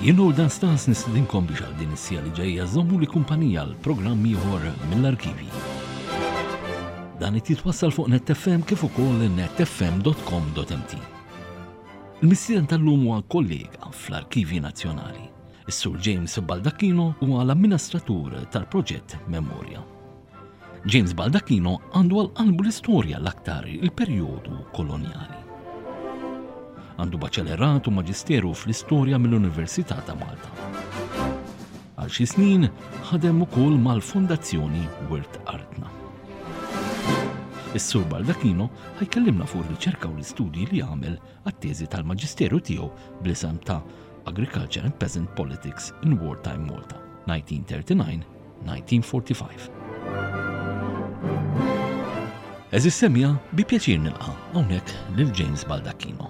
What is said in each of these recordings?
Jien u Dan Stans nistedinkom biex għal din is-sija li ġejja żommu li kumpanija l programm ieħor mill-arkivi. Dan it jitwassal fuq NetFM kif ukoll netfm.com.mt. Il-mistieden tal-lum huwa kollega fl-Arkivi Nazzjonali. Is-Sur James Baldacchino huwa l-amministratur tal-proġett Memoria. James Baldacchino għandu għal qalbu l-istorja l-aktar il-perjodu kolonjali. Għandu baċellerat u maġisteru fl-istorja mill-Università ta' Malta. Għal xi snin ħadem ukoll mal-Fondazzjoni Wirt Artna. Is-Sur Baldacchino ħajkellimna fuq ir-riċerka u l-istudji li għamel għat-teżi tal-maġisteru tiegħu bl-isem ta' Agriculture and Peasant Politics in Wartime Malta, 1939-1945. Eżis semja bi pjaċir nilqa' hawnhekk lil James Baldacchino.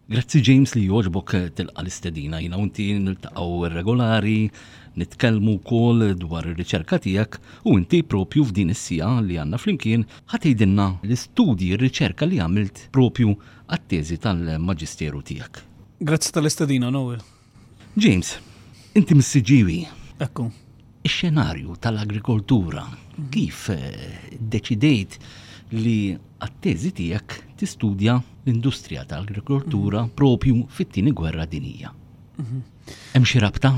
Grazzi James li jogħġbok tilqa' l-istedina jiena u inti niltaqgħu regolari, nitkellmu wkoll dwar ir-riċerka tiegħek u inti propju f'din is-siegħa li għandna flimkien ħa tgħidilna l-istudji, r-riċerka li għamilt propju għat-teżi tal-maġisteru tiegħek. Grazzi tal-istedina, Noel. James, inti mis-Siġġiewi. Ekku. Ix-xenarju tal-agrikoltura, kif iddeċidejt li għat-teżi tiegħek tistudja l-industrija tal-agrikoltura propju fit-tieni gwerra dinjija? Hemm xi rabta?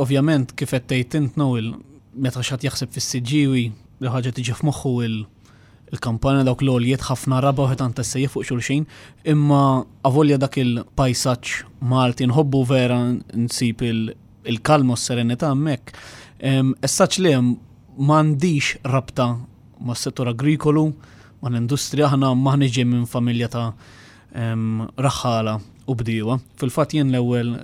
Ovvjament, kif qed tgħid int Noel, meta xi ħadd jaħseb fis-Siġġiewi, l-ħaġa tiġi f'moħħu il-kampanja dawk l-għoljiet ħafna raba u ħitan tas-sejja fuq xulxin, imma avolja dak il-pajsaġġ Malti nħobbu vera nsib il-kalma u s-serenità hemmhekk. Essaċ li hemm m'għandix rabta mas-settur agrikolu, mal-industrija, aħna m'aħniex ġej minn familja ta' raħħala u bdiewa. Fil-fatt jien l-ewwel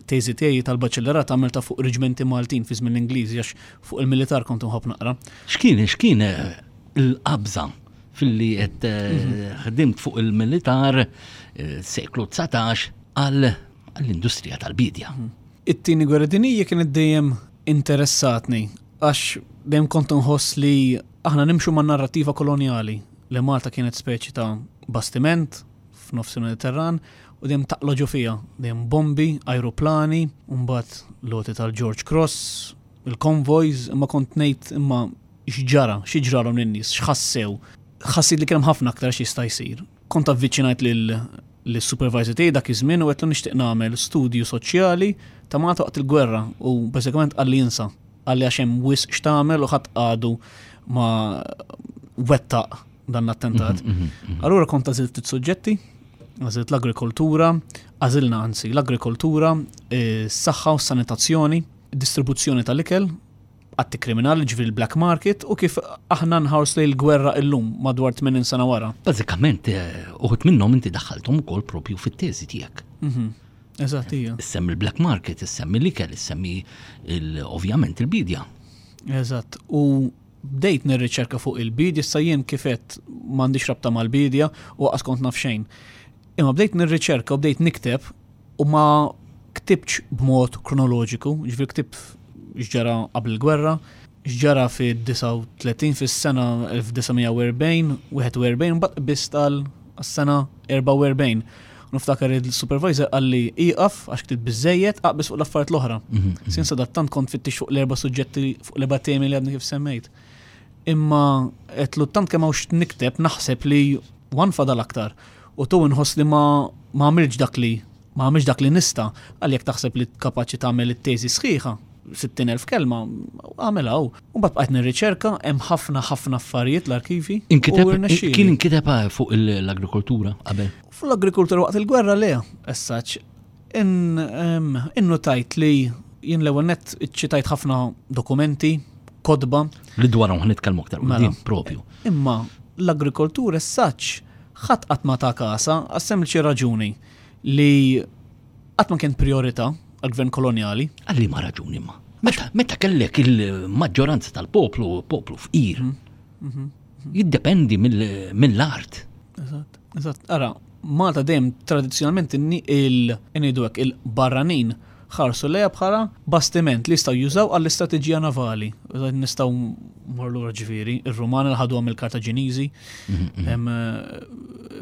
teżi tiegħi tal-baċellerat għamilta fuq reġmenti Maltin fi żmien l-Ingliżi għax fuq il-militar kont inħobb naqra. X'kien x'kien eh, il-qabża filli qed eh, mhm. ħdimt fuq il-militar eh, seklu 19 għal għall-industrija tal-bidja. Mhm. It-tieni gwerra dinjija kienet dejjem interessatni għax dejjem kont nħoss li aħna nimxu man narrattiva kolonjali li Malta kienet speċi ta' bastiment f'nofs il-Mediterran u dejjem taqla' ġo fiha, dejjem bombi, ajruplani, u mbagħad l-għoti tal-George Cross, il-convoys, imma kont ngħid imma x'ġara, xi ġralhom lin-nies, x'ħassew. Ħassejt li kien hemm ħafna aktar x'jista' jsir. Kont avviċinajt lil lis-supervisor tiegħi dak iż-żmien u għedtlu nixtieq nagħmel studju soċjali ta' Malta waqt il-gwerra u bażikament qalli insa. Qalli għax hemm wisq x'tagħmel u ħadd għadu ma wettaq dan l-attentat. Mhm, mhm, mhm. Allura kont għażilt ftit suġġetti, għażilt l-agrikoltura, għażilna anzi l-agrikoltura, s-saħħa u s-sanitazzjoni, distribuzzjoni tal-ikel, atti kriminali ġifieri l-black market u kif aħna nħarsu lejn il-gwerra illum madwar 80 sena wara. Bażikament eh, uħud minnhom inti daħħalthom ukoll propju fit-teżi tiegħek. Eżatt, hija. Issemmi l-black market, issemmi l-ikel, issemmi ovvjament il-bidja. Eżatt, u bdejt nirriċerka fuq il-bidja, issa jien kif għedt m'għandix rabta mal-bidja u qas kont naf xejn. Imma bdejt nirriċerka u bdejt nikteb u ma ktibtx b'mod kronoloġiku, ġifieri ktibt x'ġara qabel il-gwerra, x'ġara fid-39 fis-sena 1940, 41, mbagħad qbiżt għal sena 44. Niftakar il-supervisor qalli ieqaf għax ktibt biżejjed, aqbeż fuq l-affarijiet l-oħra. Mhm, mhm. Sin sadattant kont fittix fuq l-erba' suġġetti fuq l-erba' temi li għadni kif semmejt. Imma qed tant kemm hawnx nikteb naħseb li wan fadal aktar. U tu nħoss li ma ma għamilx dak li ma għamilx dak li nista' għal jekk taħseb li kapaċi tagħmel it-teżi sħiħa, 60,000 kelma, għamilha u. Mbagħad bqajt nirriċerka, hemm ħafna ħafna affarijiet l-arkivi. Inkiteb, kien inkiteb eh, fuq l-agrikoltura qabel? Fuq l-agrikoltura waqt il-gwerra le, essaċ. Innutajt li jien l-ewwel nett iċċitajt ħafna dokumenti, kotba. Li dwarhom ħa nitkellmu aktar mela. propju. Imma l-agrikoltura essaċ ħadd qatt ma ta' kasa għas-sempliċi raġuni li qatt ma kien priorità għall-gvern kolonjali. Għal liema raġuni ma? Meta, meta kellek il-maġġoranza tal-poplu, poplu fqir, mhm, mhm, mhm. jiddependi mill-art. Eżatt, eżatt. Ara, Malta dejjem tradizzjonalment il-ngħidu hekk il-barranin. Ħarsu lejha bħala bastiment li jistgħu jużaw għall-istrateġija navali. Nistgħu mmorru lura ġifieri, ir-Rumani li ħaduha mill-Kartaġiniżi,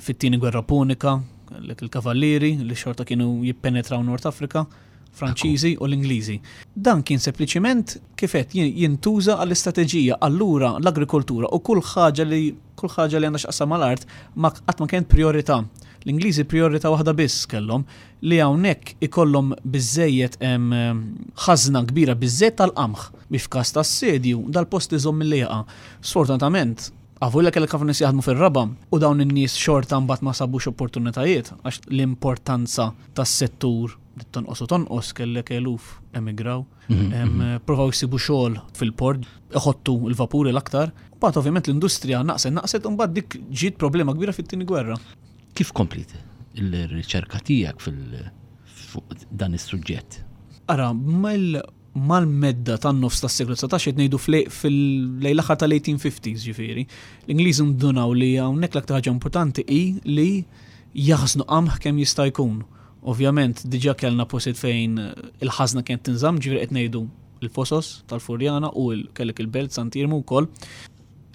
fit-tieni gwerra Punika, kellek il-kavallieri li xorta kienu jippenetraw Nord Afrika. Franċiżi u l-Ingliżi. Dan kien sempliċiment kif għedt jintuża għall-istrateġija, allura l-agrikoltura u kull ħaġa li kull ħaġa li għandha x'taqsam mal-art ma qatt ma kienet prijorità. L-Ingliżi prijorità waħda biss kellhom li hawnhekk ikollhom biżżejjed ħażna kbira biżżejjed tal-qamħ biex f'każ ta' assedju dal-post iżomm milli jaqa'. Sfortunatament, avolja kellek ħafna nies jaħdmu fir-raba' u dawn in-nies xorta mbagħad ma sabux opportunitajiet għax l-importanza tas-settur bdiet tonqos u tonqos, kellek eluf emigraw, provaw jsibu xogħol fil-port, iħottu l-vapuri l-aktar. Mbagħad ovvjament l-industrija naqset naqset u mbagħad dik ġiet problema kbira fit-tieni gwerra. Kif kompliet il-riċerka tiegħek fil fuq dan is-suġġett? Ara, mal-medda tan-nofs tas-seklu 19 qed ngħidu fil-lejn l-aħħar tal-1850s ġifieri, l-Ingliżi ndunaw li hawnhekk l-aktar ħaġa importanti hi li jaħżnu qamħ kemm jista' jkun. Ovvjament diġà kellna postijiet fejn il-ħażna kienet tinżamm, ġifieri qed ngħidu l-Fosos tal-Furjana u kellek il-Belt Sant'Iermu wkoll.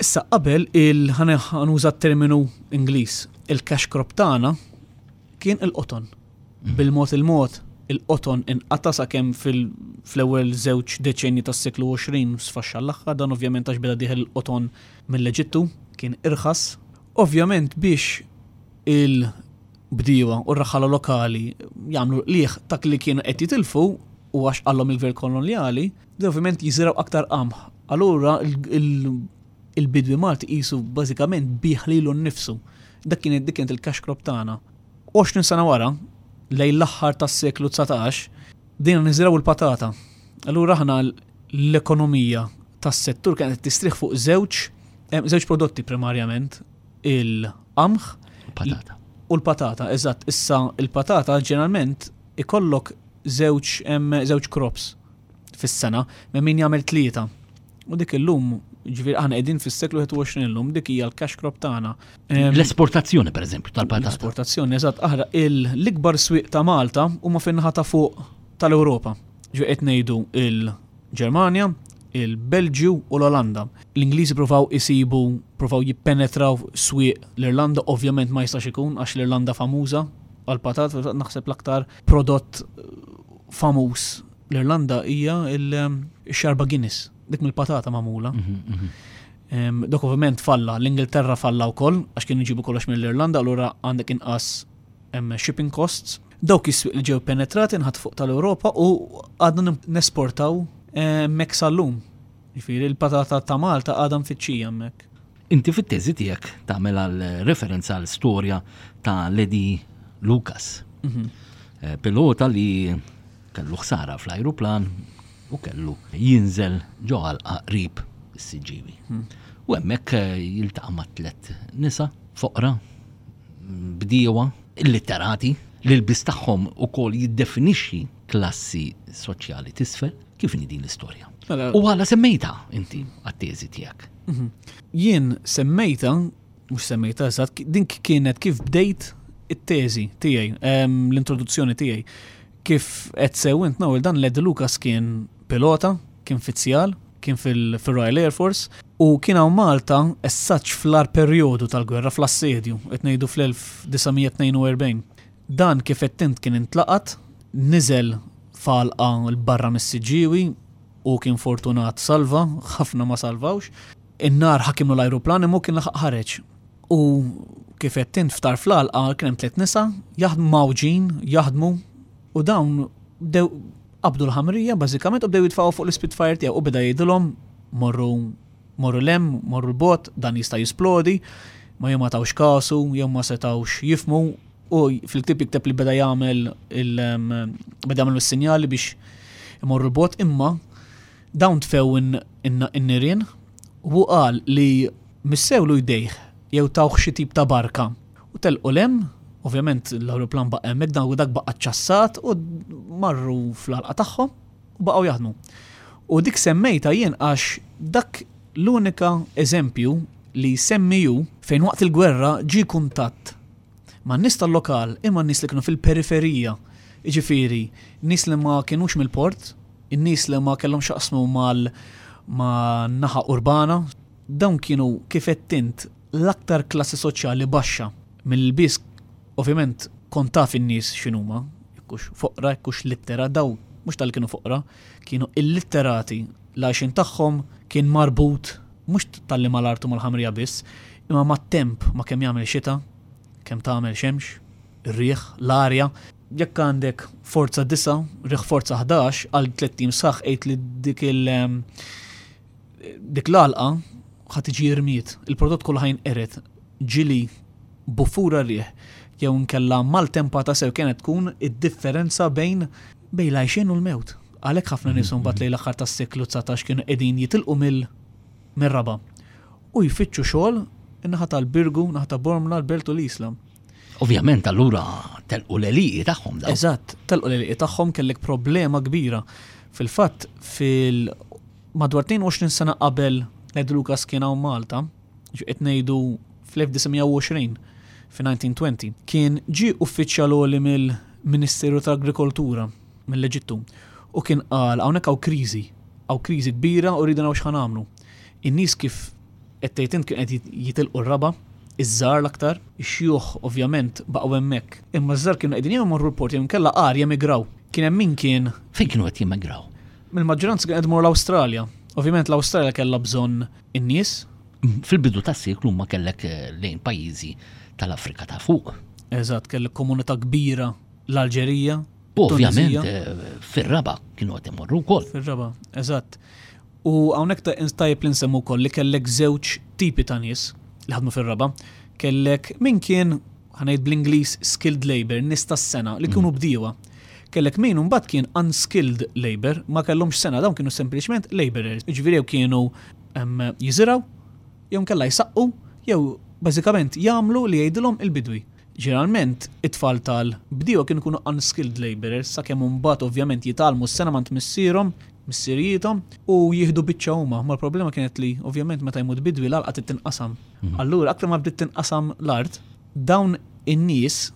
Issa qabel il ħa nuża t-terminu Ingliż, il-cash crop tagħna kien il-qoton. Bil-mod il-mod il-qoton inqata' sakemm fl-ewwel żewġ deċenji tas-seklu 20 sfaxxa l-aħħar, dan ovvjament għax beda dieħel il-qoton mill-Eġittu, kien irħas. Ovvjament biex il-bdiewa u r-raħħala lokali jagħmlu qligħ dak li kienu qed jitilfu u għax qallhom il-gvern kolonjali, ovvjament jiżirgħu aktar qamħ. Allura il-bidwi Malti qisu bażikament biegħ lilu nnifsu. Dak kien dik kienet il-cash crop tagħna. 20 sena wara, lejn l-aħħar tas-seklu 19, bdejna niżirgħu l-patata. Allura aħna l-ekonomija tas-settur kienet qed tistrieħ fuq żewġ żewġ prodotti primarjament, il-qamħ Patata. U l-patata, eżatt. Issa il-patata ġeneralment ikollok żewġ żewġ crops fis-sena, ma min jagħmel tlieta. U dik illum, ġifieri aħna qegħdin fis-seklu 21 illum, dik hija l-cash crop tagħna. L-esportazzjoni pereżempju tal-patata. L-esportazzjoni, eżatt, aħra l-ikbar swieq ta' Malta huma fin-naħa ta' fuq tal-Ewropa. Ġifieri qed ngħidu il-Ġermanja, il-Belġju u l-Olanda. L-Ingliżi provaw isibu, provaw jippenetraw swieq l-Irlanda, ovvjament ma jistax ikun għax l-Irlanda famuża għall-patat, naħseb l-aktar prodott famuż l-Irlanda hija x-xarba Guinness, dik mill-patata magħmula. Mhm, mhm. Dak ovvjament falla, l-Ingilterra falla wkoll għax kienu jġibu kollox mill-Irlanda, allura għandek inqas shipping costs. Dawk is-swieq li ġew penetrati nħat fuq tal-Ewropa u għadna nesportaw hemmhekk sal-lum. Jiġifieri l-patata ta' Malta għadha mfittxija hemmhekk. Inti fit-teżi tiegħek tagħmel għal referenza għal storja ta' Lady Lucas. Mhm. Eh, pilota li kellu ħsara fl-ajruplan u kellu jinżel ġo għalqa qrib is-Siġġiewi. Mhm. U hemmhekk eh, jiltaqa' ma' tliet nisa foqra bdiewa illitterati li l-biss tagħhom ukoll jiddefinixxi klassi soċjali t'isfel. Kif inhi din l-istorja? Mela- U għala semmejta inti għat-teżi tiegħek? Mhm. Jien semmejta, mhux semmejta eżatt, din kienet kif bdejt it-teżi tiegħi, l-introduzzjoni tiegħi. Kif qed sew int Noel dan Led Lucas kien pilota, kien fizzjal, kien fil-Royal Air Force u kien hawn Malta essaċ fl-ar perjodu tal-gwerra fl-assedju, qed ngħidu fl-1942. Dan kif għedt int kien intlaqat, niżel f'għalqa 'l barra mis-Siġġiewi u kien fortunat salva, ħafna ma salvawx. In-nar ħakimlu l-ajruplan imma hu kien laħaq ħareġ. U kif għedt int f'tarf l-għalqa kien hemm tliet nisa jaħdmu mgħawġin, jaħdmu u dawn bdew qabdu l-ħamrija bażikament u bdew jitfgħuha fuq l-Spitfire tiegħu u beda jgħidilhom morru morru 'l hemm, morru 'l bogħod, dan jista' jisplodi, ma jew ma tawx kasu, jew ma setgħux jifhmu u fil-ktieb jikteb li beda jagħmel il beda jagħmel is-sinjali biex imorru 'l bogħod imma dawn tfew in-nirien u hu qal li missewlu jdejh jew tawh xi tip ta' barka u telqu 'l hemm, ovvjament l-ajruplan baqa' hemmhekk dan u dak baqa' ċċassat u marru fl-għalqa tagħhom. U baqgħu jaħdmu. U dik semmejtha jien għax dak l-unika eżempju li jsemmi hu fejn waqt il-gwerra ġie kuntatt man-nies tal-lokal imma n-nies li kienu fil-periferija. Jiġifieri, nies li ma kinux mill-port, in-nies li ma kellhomx x'jaqsmu mal ma' naħa urbana, dawn kienu kif għedt int l-aktar klassi soċjali baxxa. Mill-ilbies ovvjament kont taf in-nies x'inhuma, jekk hux foqra, jekk hux littera, dawn mhux talli kienu foqra, kienu illitterati, l-għajxien tagħhom kien marbut mhux talli mal-art u mal-ħamrija biss, imma mat-temp, ma' kemm jagħmel xita, kemm tagħmel xemx, ir-riħ, l-arja. Jekk għandek forza 9, riħ forza 11, għal tlett ijiem sħaħ għid li dik il dik l-għalqa ħa tiġi rmiet, il-prodott kollu ħa jinqered, ġieli buffura riħ jew inkella maltempata sew kienet tkun id-differenza bejn bejn l-għajxien u l-mewt. Għalhekk ħafna nies imbagħad lejn l-aħħar tas-seklu 19 kienu qegħdin jitilqu mill mir-raba' u jfittxu xogħol in-naħa tal-Birgu, naħa ta' Bormla, l-Belt u l-Isla. Ovvjament allura telqu l-għelieqi tagħhom dawn. Eżatt, telqu l-għelieqi tagħhom kellek problema kbira. Fil-fatt fil madwar 22 sena qabel Ned Lucas kien hawn Malta, qed ngħidu fl-1920, fi 1920, kien ġie uffiċjal għoli mill-Ministeru tal-Agrikoltura mill-Eġittu u kien qal hawnhekk hawn kriżi, hawn kriżi kbira u rridu naraw x'ħa nagħmlu. In-nies kif qed tgħid int kienu qed jitilqu r-raba', iż-żgħar l-aktar, ix-xjuħ ovvjament baqgħu hemmhekk. Imma ż-żgħar kienu qegħdin jew imorru l-port jew inkella agħar jemigraw. Kien hemm min kien. Fejn kienu qed jemigraw? Mill-maġġoranza kienu qed imorru l-Awstralja. Ovvjament l-Awstralja kellha bżonn in-nies. Fil-bidu tas-seklu ma kellek lejn pajjiżi tal-Afrika ta' fuq. Eżatt, kellek komunità kbira l-Alġerija. Ovvjament fir-raba' kienu qed imorru wkoll. Fir-raba', eżatt. U hawnhekk tajjeb li nsemmu wkoll li kellek żewġ tipi ta' nies li ħadmu fir-raba'. Kellek min kien, ħa ngħid bl-Ingliż, skilled labour, nies tas-sengħa li kienu bdiewa. Kellek min imbagħad kien unskilled labour, ma kellhomx sengħa, dawn kienu sempliċement labourers. Jiġifieri jew kienu jiżirgħu, jew inkella jsaqqu, jew bażikament jagħmlu li jgħidilhom il-bidwi. Ġeneralment, it-tfal tal-bdiewa kienu jkunu unskilled labourers sakemm imbagħad ovvjament jitgħallmu s-sengħa m'għand missierhom, missirijiethom, u jieħdu biċċa huma. Imma l-problema kienet li ovvjament meta jmut bidwi l-għalqa trid tinqasam. Allura aktar ma bdiet tinqasam l-art, dawn in-nies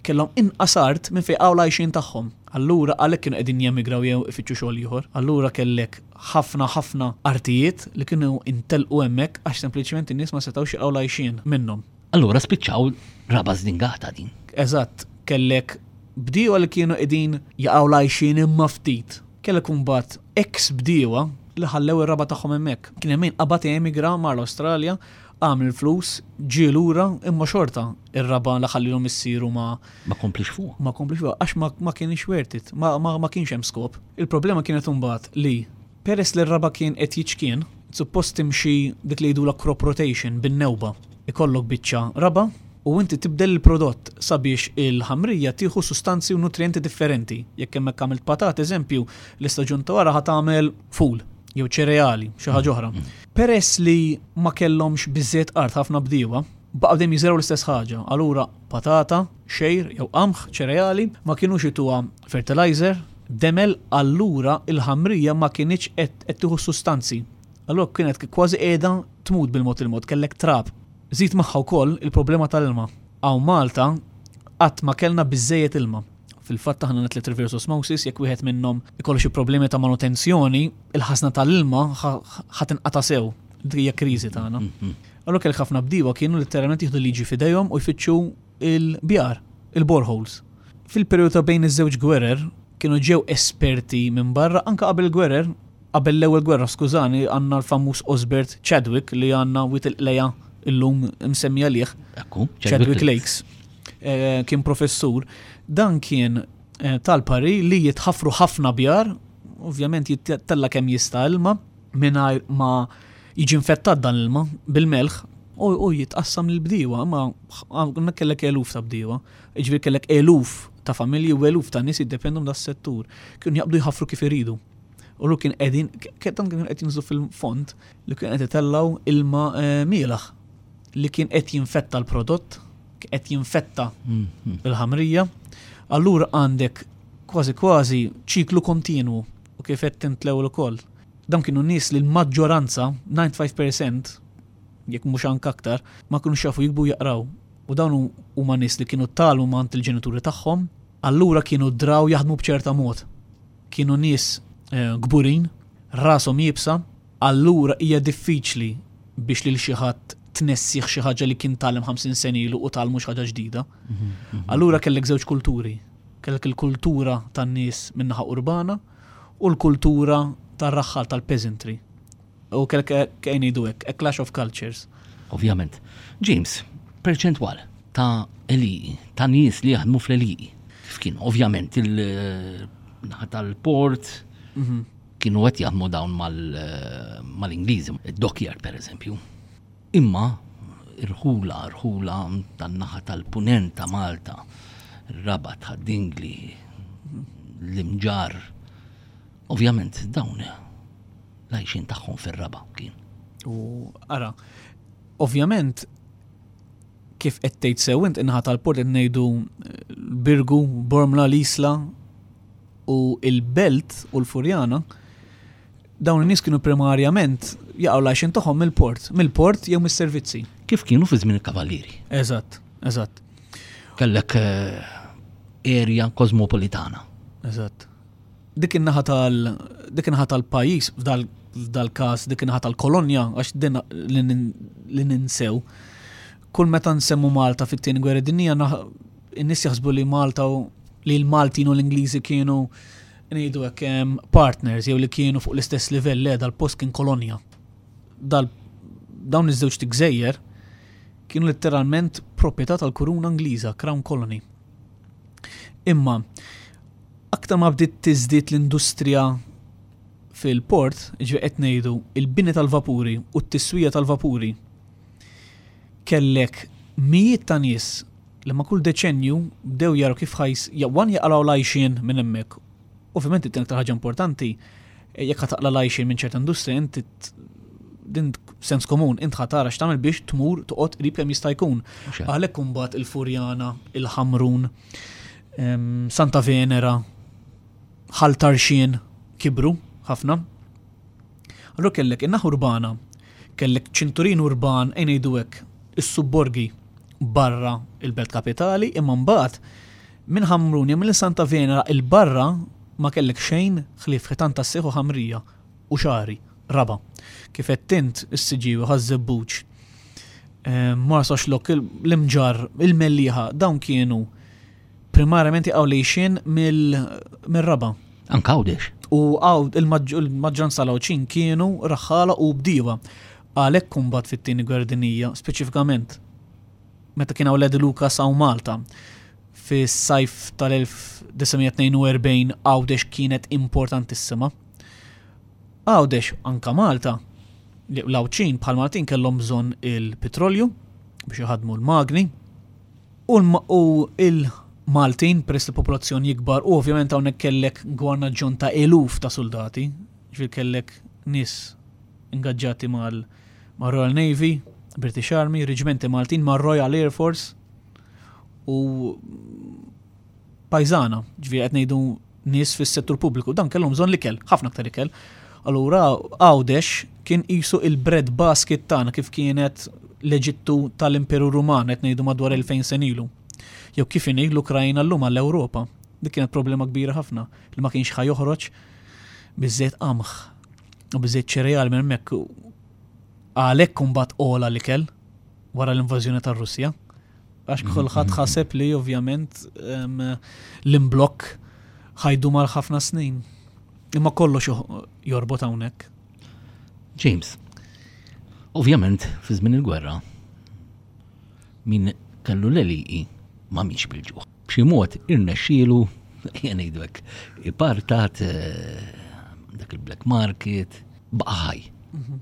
kellhom inqas art minn fejn qagħu l-għajxien tagħhom. Allura għalhekk kienu qegħdin jemigraw jew ifittxu xogħol ieħor. Allura kellek ħafna ħafna artijiet li kienu intelqu hemmhekk għax sempliċement in-nies ma setgħux jaqgħu l-għajxien minnhom. Allura spiċċaw raba' żdingata din. Eżatt, kellek bdiewa li kienu qegħdin jaqgħu l-għajxien imma ftit. Kellek imbagħad eks bdiewa li ħallew ir-raba' tagħhom hemmhekk. Kien hemm min qabad emigra mar l-Awstralja, għamel il-flus, ġie lura imma xorta ir-raba' li ħallielu missieru ma Ma kompliex fuqha. Ma kompliex fuqha għax ma, ma kienx worth it, ma, ma, ma kienx hemm skop. Il-problema kienet imbagħad li Peress li r-raba' kien qed jiċkien, suppost timxi dik li jgħidulha crop rotation bin-newba. Ikollok biċċa raba' u inti tibdel il-prodott sabiex il-ħamrija tieħu sustanzi u nutrijenti differenti. Jekk hemmhekk għamilt patata eżempju, l-istaġun ta' wara ħa tagħmel ful jew ċereali, xi ħaġa oħra. Peress li ma kellhomx biżżejjed art ħafna bdiewa, baqgħu dejjem jiżirgħu l-istess ħaġa. Allura patata, xgħir jew qamħ, ċereali, ma kinux ituha fertilizer, demel, allura il-ħamrija ma kinitx qed tieħu s-sustanzi. Allura kienet kważi qiegħda tmut bil-mod il-mod, kellek trab. Żid magħha wkoll il-problema tal-ilma. Hawn Malta qatt ma kellna biżżejjed ilma. Fil-fatt aħna għandna tliet reverse osmosis, jekk wieħed minnhom ikollu xi problemi ta' manutenzjoni, il-ħażna tal-ilma ħa tinqata' sew. Dik hija kriżi tagħna. Allura kellek ħafna bdiewa kienu letteralment jieħdu l-liġi f'idejhom u jfittxu il-bjar, il-boreholes. Fil-perjodu ta' bejn iż-żewġ gwerer kienu ġew esperti minn barra anke qabel il-gwerer, qabel l-ewwel gwerra skużani, għandna l-famuż Osbert Chadwick li għandna Wied il-Qlejgħa illum imsemmi għalih. Ekku, Chadwick Lakes. Eh, kien professur. Dan kien eh, tal-pari li jitħaffru ħafna bjar, ovvjament jittella kemm jista' ilma, mingħajr ma jiġi infettat dan l-ilma bil-melħ u jitqassam lill-bdiewa, imma hemmhekk kellek eluf ta' bdiewa, jiġifieri kellek eluf ta' familji u eluf ta' nies jiddependu minn das-settur. Kienu jaqbdu jħaffru kif iridu. U lu kien qegħdin, dan kienu qed jinżlu fil-fond li kien qed itellgħu ilma eh, mielaħ li kien qed jinfetta l-prodott, qed jinfetta mhm. il-ħamrija. Allura għandek kważi kważi ċiklu kontinwu u kif qed tintlew ukoll. Dawn kienu nies li l-maġġoranza, 95%, jekk mhux anke aktar, ma kinux jafu jiktbu u jaqraw. U dawn huma nies li kienu tgħallmu m'għand il-ġenituri tagħhom. Allura kienu draw jaħdmu b'ċerta mod. Kienu nies eh, kburin, rashom iebsa, allura hija diffiċli biex lil xi ħadd tnessih xi ħaġa li kien tgħallem 50 sena ilu u tgħallmu xi ħaġa ġdida. Allura kellek żewġ kulturi. Kellek il-kultura tan-nies min-naħa urbana u l-kultura tar-raħħal tal-peasantry. U kellek kejn ngħidu hekk, a clash of cultures. Ovvjament. James, perċentwal ta' għelieqi, ta' nies li jaħdmu fl-għelieqi. Kif kien? Ovvjament il-naħa tal-port kienu qed jaħdmu dawn mal-Ingliżi, id-dockyard per eżempju. Imma irħula, rħula tan-naħa tal-punent ta' Malta, Rabat, Ħad-Dingli, l-Imġarr, ovvjament dawn l-għajxien tagħhom fir-raba' kien. U ara, ovvjament kif qed tgħid sew int in-naħa tal-port qed ngħidu eh, Birgu, Bormla, l-Isla u il-Belt u l-Furjana, dawn in-nies kienu primarjament jaqgħu l-għajxien tagħhom mill-port, mill-port jew mis-servizzi. Kif kienu fi żmien il-Kavallieri. Eżatt, eżatt. Kellek eh, area kosmopolitana. Eżatt. Dik in-naħa tal dik in-naħa tal-pajjiż f'dal f'dal-każ dik in-naħa tal-kolonja għax din li ninsew. Kull meta nsemmu Malta fit-tieni gwerra dinjija in-nies jaħsbu li Malta u li l-Maltin u l-Ingliżi kienu ngħidu hekk partners jew li kienu fuq l-istess livell le dal-post kien kolonja. Dal dawn iż-żewġ gżejjer kienu letteralment proprjetà tal-Kuruna Ingliża, Crown Colony. Imma aktar ma bdiet tiżdied l-industrija fil-port, jiġifieri qed ngħidu il-bini tal-vapuri u t-tiswija tal-vapuri, kellek mijiet ta' nies li ma' kull deċennju bdew jaraw kif ħajs wan jaqalgħu l-għajxien minn hemmhekk. Ovvjament it-tieni aktar ħaġa importanti, jekk ħa taqla' l-għajxien minn ċerta industrija inti din sens komun, int ħa tara x'tagħmel biex tmur toqgħod qrib kemm jista' jkun. Għalhekk imbagħad il-Furjana, il-Ħamrun, Santa Venera, Ħal Tarxien kibru ħafna. Allura kellek in-naħa urbana, kellek ċinturin urban ejn ngħidu hekk, is-subborgi barra il-belt kapitali, imma mbagħad minn Ħamrun jew minn Santa Venera 'il barra ma kellek xejn ħlief ħitan tas-sieħ u ħamrija u xagħri, raba'. Kif għedt int, is-Siġġiewi, Ħaż-Żebbuġ, Marsaxlokk, l-Imġarr, il-Mellieħa, dawn kienu primarjament jaqgħu l-għixien mir-raba'. Anke Għawdex. U il-maġġoranza tal-Għawdxin kienu raħħala u bdiewa. Għalhekk imbagħad fit-Tieni Gwerra Dinjija, speċifikament meta kien hawn Lady Lucas hawn Malta, fis-sajf tal-1942 Għawdex kienet importantissima. Għawdex, anka Malta, l-Għawdxin bħal Maltin kellhom bżonn il-pitrolju biex iħaddmu l-magni u il-Maltin peress li popolazzjoni jikbar u ovvjament hawnhekk kellek gwarnaġġjon ta' eluf ta' soldati, ġifieri kellek nies ingaġġati mal Royal Navy, British Army, reġimenti Maltin mar Royal Air Force u pajżana, ġifieri qed ngħidu nies fis-settur pubbliku, dan kellhom bżonn l-ikel, ħafna aktar ikel. Allura Għawdex kien qisu il-bread basket tagħna kif kienet l-Eġittu tal-Imperu Ruman qed ngħidu madwar 2000 sena ilu. Jew kif inhi l-Ukrajna llum għall-Ewropa. Dik kienet problema kbira ħafna li ma kienx ħa joħroġ biżżejjed qamħ u biżżejjed ċereali minn hemmhekk għalhekk imbagħad ogħla l-ikel wara l-invażjoni tar-Russja. Għax mhm, kulħadd mhm. ħaseb li ovvjament l-imblokk ħajdu mal ħafna snin. Imma kollox jorbot hawnhekk. James, ovvjament fi żmien il-gwerra min kellu l-eliqi ma miex bil-ġuħ. B'xi mod irnexxielu jien ngħidu hekk ipartat eh, dak il-black market baqa' ħaj. Mhm.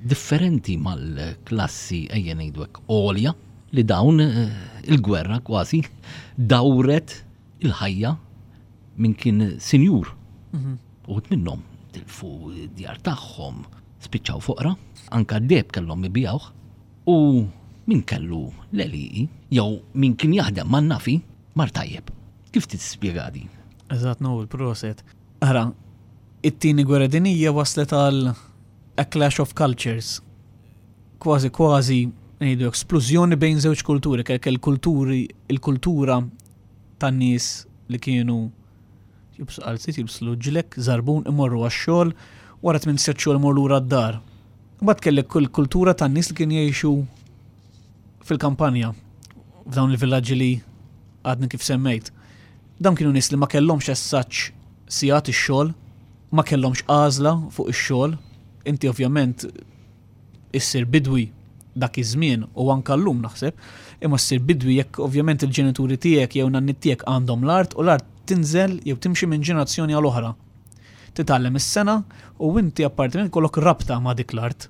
Differenti mal-klassi ejja ngħidu hekk għolja li dawn eh, il-gwerra kważi dawret il-ħajja minn kien sinjur. Mhm. Uħud minnhom tilfu djar tagħhom, spiċċaw foqra, anka d-deb kellhom ibijawh u min kellu l-għelieqi jew min kien jaħdem man-nafi mar tajjeb. Kif tispjega din? Eżatt, Noel, proset. Ara, it-tieni gwerra dinjija waslet għal a clash of cultures. Kważi kważi ngħidu splużjoni bejn żewġ kulturi, kellek il-kulturi, il-kultura tan-nies li kienu jilbsu qalziet, jilbsu ġlekk, żarbun, imorru għax-xogħol, wara tmien sigħat xogħol imorru lura d-dar. Imbagħad kellek kull kultura tan-nies li kien jgħixu fil-kampanja, f'dawn il-villaġġi li għadni kif semmejt. Dawn kienu nies li ma kellhomx as such sigħat ix-xogħol, ma kellhomx għażla fuq ix-xogħol. Inti ovvjament issir bidwi dak iż-żmien u anke llum naħseb, imma ssir bidwi jekk ovvjament il-ġenituri tiegħek jew nanniet tiegħek għandhom l-art u l-art tinżel jew timxi minn ġenerazzjoni għal oħra. Titgħallem is-sengħa u inti apparti minn ikollok rabta ma' dik l-art.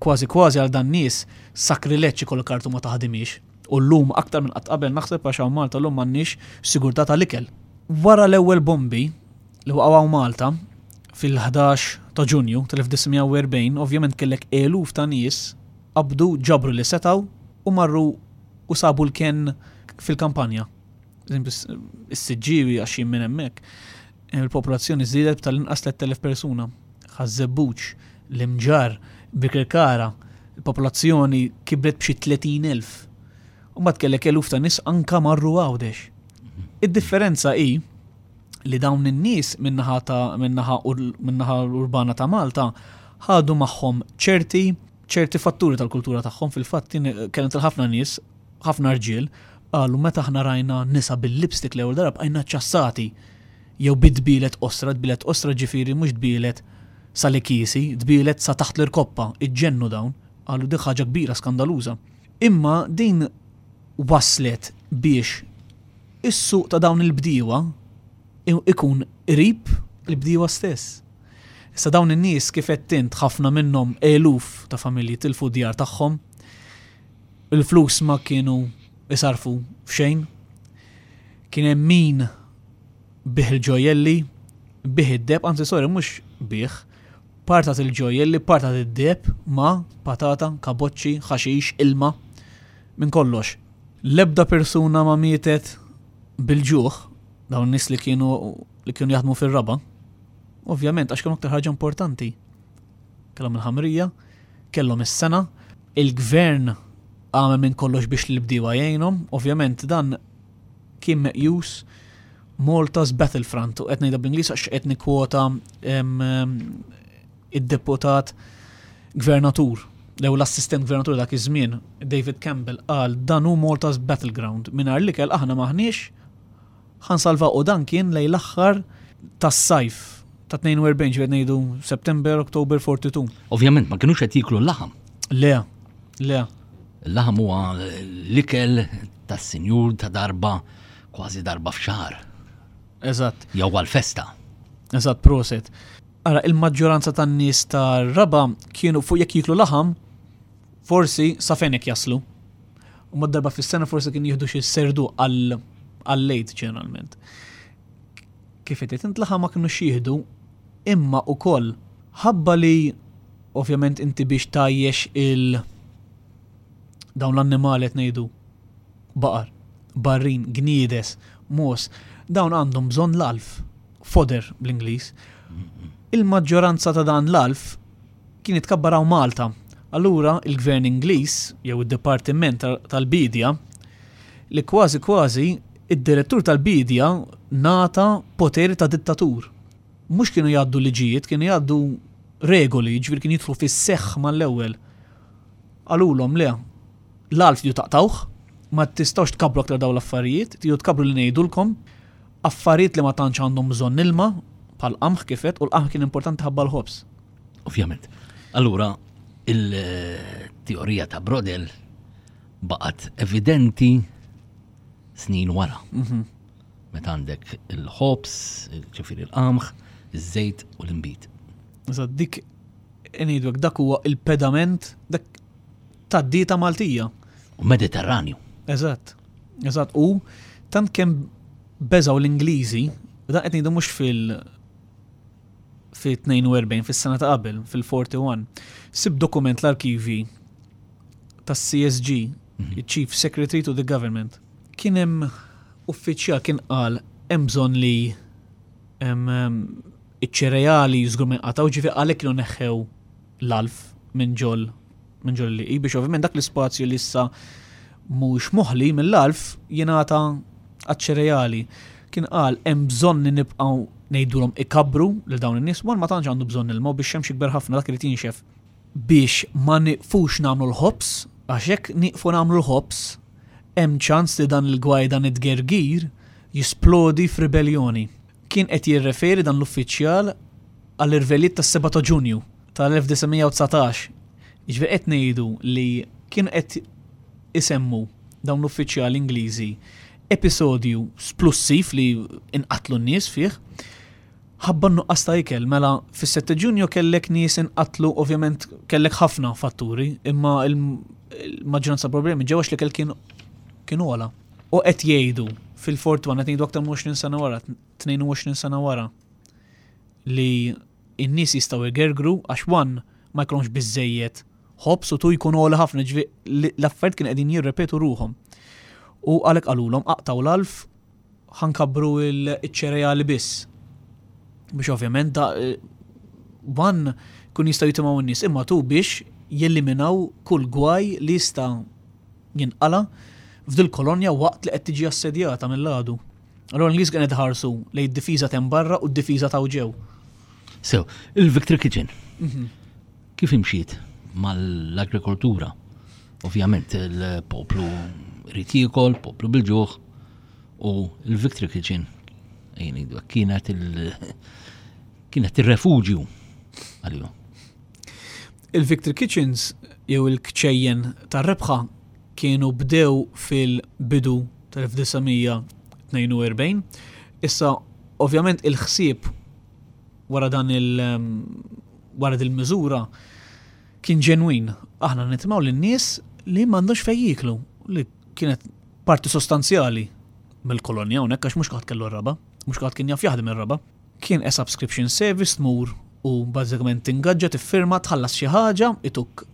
Kważi kważi għal dan nies sakrileġġ ikollok art u ma taħdimhiex. U llum aktar minn qatt qabel naħseb għax hawn Malta llum m'għandniex sigurtà tal-ikel. Wara l-ewwel bombi li waqgħu hawn Malta fil-11 ta' Ġunju tal-1940, ovvjament kellek eluf ta' nies qabdu ġabru li setgħu u marru u sabu l-kenn fil-kampanja. Is-Siġġiewi għax jien minn hemmhekk, il-popolazzjoni żdiedet b'tal-inqas 3,000 persuna. Ħaż-Żebbuġ, l-Imġarr, Birkirkara, il-popolazzjoni kibret b'xi 30,000. U mbagħad kellek eluf ta' nies anka marru Għawdex. Id-differenza hi li dawn in-nies min-naħa ta' min-naħa min-naħa urbana ta' Malta ħadu magħhom ċerti ċerti fatturi tal-kultura tagħhom fil-fatt kellem tal-ħafna nies, ħafna rġiel, qalu meta aħna rajna nisa bil-lipstick l-ewwel darba bqajna ċassati jew bid-dbielet qosra, dbielet qosra ġifieri mhux dbielet sal-ikiesi, dbielet sa taħt l-irkoppa, iġġennu dawn, qalu dik ħaġa kbira skandaluża. Imma din wasslet biex is-suq ta' dawn il-bdiewa ikun qrib il-bdiewa stess. Issa dawn in-nies kif għedt int ħafna minnhom eluf ta' familji tilfu d-djar tagħhom, il-flus ma kienu isarfu f'xejn. Kien hemm min biegħ il-ġojjelli, biegħ id-deheb, anzi sorry mhux biegħ, partat il-ġojjelli, partat id-deheb ma' patata, kaboċċi, ħaxix, ilma, minn kollox. L-ebda persuna ma mietet bil-ġuħ, dawn nies li kienu li kienu jaħdmu fir-raba'. Ovvjament għax kienu aktar ħaġa importanti. Kellhom il-ħamrija, kellhom is-sena, il-gvern għamel minn kollox biex l-bdiewa jgħinhom, ovvjament dan kien meqjus Malta's Battlefront u qed ngħidha bl-Ingliż għax qed nikkwota id-deputat gvernatur jew l-assistent gvernatur dak iż-żmien, David Campbell, qal dan hu Malta's Battleground. Mingħajr l-ikel aħna m'aħniex ħa nsalvaw u dan kien lejn l-aħħar tas-sajf ta' 42 ġifieri ngħidu September, October 42. Ovvjament ma kinux qed jieklu l-laħam. Le, le. Il-laħam huwa l-ikel tas-sinjur ta' darba kważi darba f'xahar. Eżatt. Jew għal-festa. Eżatt, proset. Ara, il-maġġoranza tan-nies tar-raba kienu fuq jekk jiklu laħam, forsi sa fejn jaslu. U mad darba fis-sena forsi kien jieħdu xi serdu għal-lejt ġeneralment. Kif qed int laħam ma kinux jieħdu imma ukoll ħabba li ovvjament inti biex tajjex il dawn l-annimali qed ngħidu baqar, barrin, gniedes, mogħoż, dawn għandhom bżonn l-għalf, fodder bl-Ingliż. Il-maġġoranza ta' dan l-għalf kien jitkabbar hawn Malta. Allura il-Gvern Ingliż jew id-Dipartiment tal-Biedja li kważi kważi id-direttur tal-biedja ngħata poteri ta' dittatur. Mhux kienu jgħaddu liġijiet, kienu jgħaddu regoli, jiġifieri kien jidħlu fis-seħħ mal-ewwel. Qalulhom le, l-għalf tridu taqtgħuh, ma tistgħux tkabbru aktar dawn l-affarijiet, tridu tkabbru li ngħidulkom, affarijiet li ma tantx għandhom bżonn ilma, bħal qamħ kif għedt, u l-qamħ kien importanti ħabba l-ħobż. Ovvjament. Allura, il-teorija ta' Brodel baqgħet evidenti snin wara. Mhm. Meta għandek il-ħobż, ġifieri l-qamħ, iż-żejt u l-inbid. Eżatt, dik ngħidu dak huwa il-pedament dak tad-dieta Maltija. U Mediterranju. Eżatt. Eżatt. U tant kemm beżgħu l-Ingliżi, u dan qed ngħidu mhux fil fi 42 fis-sena ta' qabel, fil-41, sib dokument l-arkivi tas-CSG, mhm. Chief Secretary to the Government. Kien hemm uffiċjal kien qal hemm bżonn li iċ-ċereali żgur ma jinqatgħu, ġifieri għalhekk kienu neħħew l-għalf minn ġol minn ġol li biex ovvjament dak l-ispazju li issa mhux moħli mill-għalf jingħata għaċ-ċereali. Kien qal hemm bżonn li nibqgħu ngħidulhom ikabbru lil dawn in-nies, one ma tantx għandu bżonn ilma u bix-xemx jikber ħafna dak irid jinxef biex ma nieqfux nagħmlu l-ħobż għax jekk nieqfu nagħmlu l-ħobż hemm ċans li dan il-gwaj dan it-tgergir jisplodi f'ribelljoni. Kien qed jirreferi dan l-uffiċjal għall-irvellijiet tas-7 ta' Ġunju tal-1919. Jiġifieri qed ngħidu li kienu qed isemmu dawn l-uffiċjali Ingliżi episodju splussiv li inqatlu n-nies fih ħabba n-nuqqas ta' ikel. Mela fis-7 Ġunju kellek nies inqatlu, ovvjament kellek ħafna fatturi, imma il-maġġoranza problemi ġew għax l-ikel kien kien ogħla. U qed jgħidu fil-41 qed ngħidu aktar minn 20 sena wara, 22 sena wara li n-nies jistgħu jgergru għax one ma jkollhomx biżejjed ħobż u tu jkun għoli ħafna ġvi l-affarijiet kien qegħdin jirrepetu ruħhom. U għalhekk qalulhom aqtaw l-alf ħankabbru il-ċereali biss. Biex ovvjament da eh, one kun jistgħu jitimgħu n-nies imma tu biex jeliminaw kull gwaj li jista' jinqala f'dil kolonja waqt li qed tiġi assedjata mill-għadu. Allura l-Ingliż kien qed iħarsu lejn id-difiża t'hemm barra u d-difiża ta' ġew. Sew, il-Victory Kitchen. Mhm. Kif imxiet mal-agrikoltura? Ovvjament il-poplu rrid jiekol, poplu bil-ġuħ, u il-Victory Kitchen kienet il- kienet ir-refuġju għalihom. Il-Victory Kitchens jew il-kċejjen tar-rebħa kienu bdew fil-bidu tal-1942. Issa, ovvjament il-ħsieb wara dan il- wara dil-miżura kien ġenwin. Aħna nitmaw lin-nies li m'għandhomx fejn jieklu, li kienet parti sostanzjali mill-kolonja hawnhekk għax mhux kulħadd kellu r-raba', mhux kulħadd kien jaf jaħdem ir-raba'. Kien a subscription service tmur u bażikament tingaġġa, tiffirma, tħallas xi ħaġa, ituk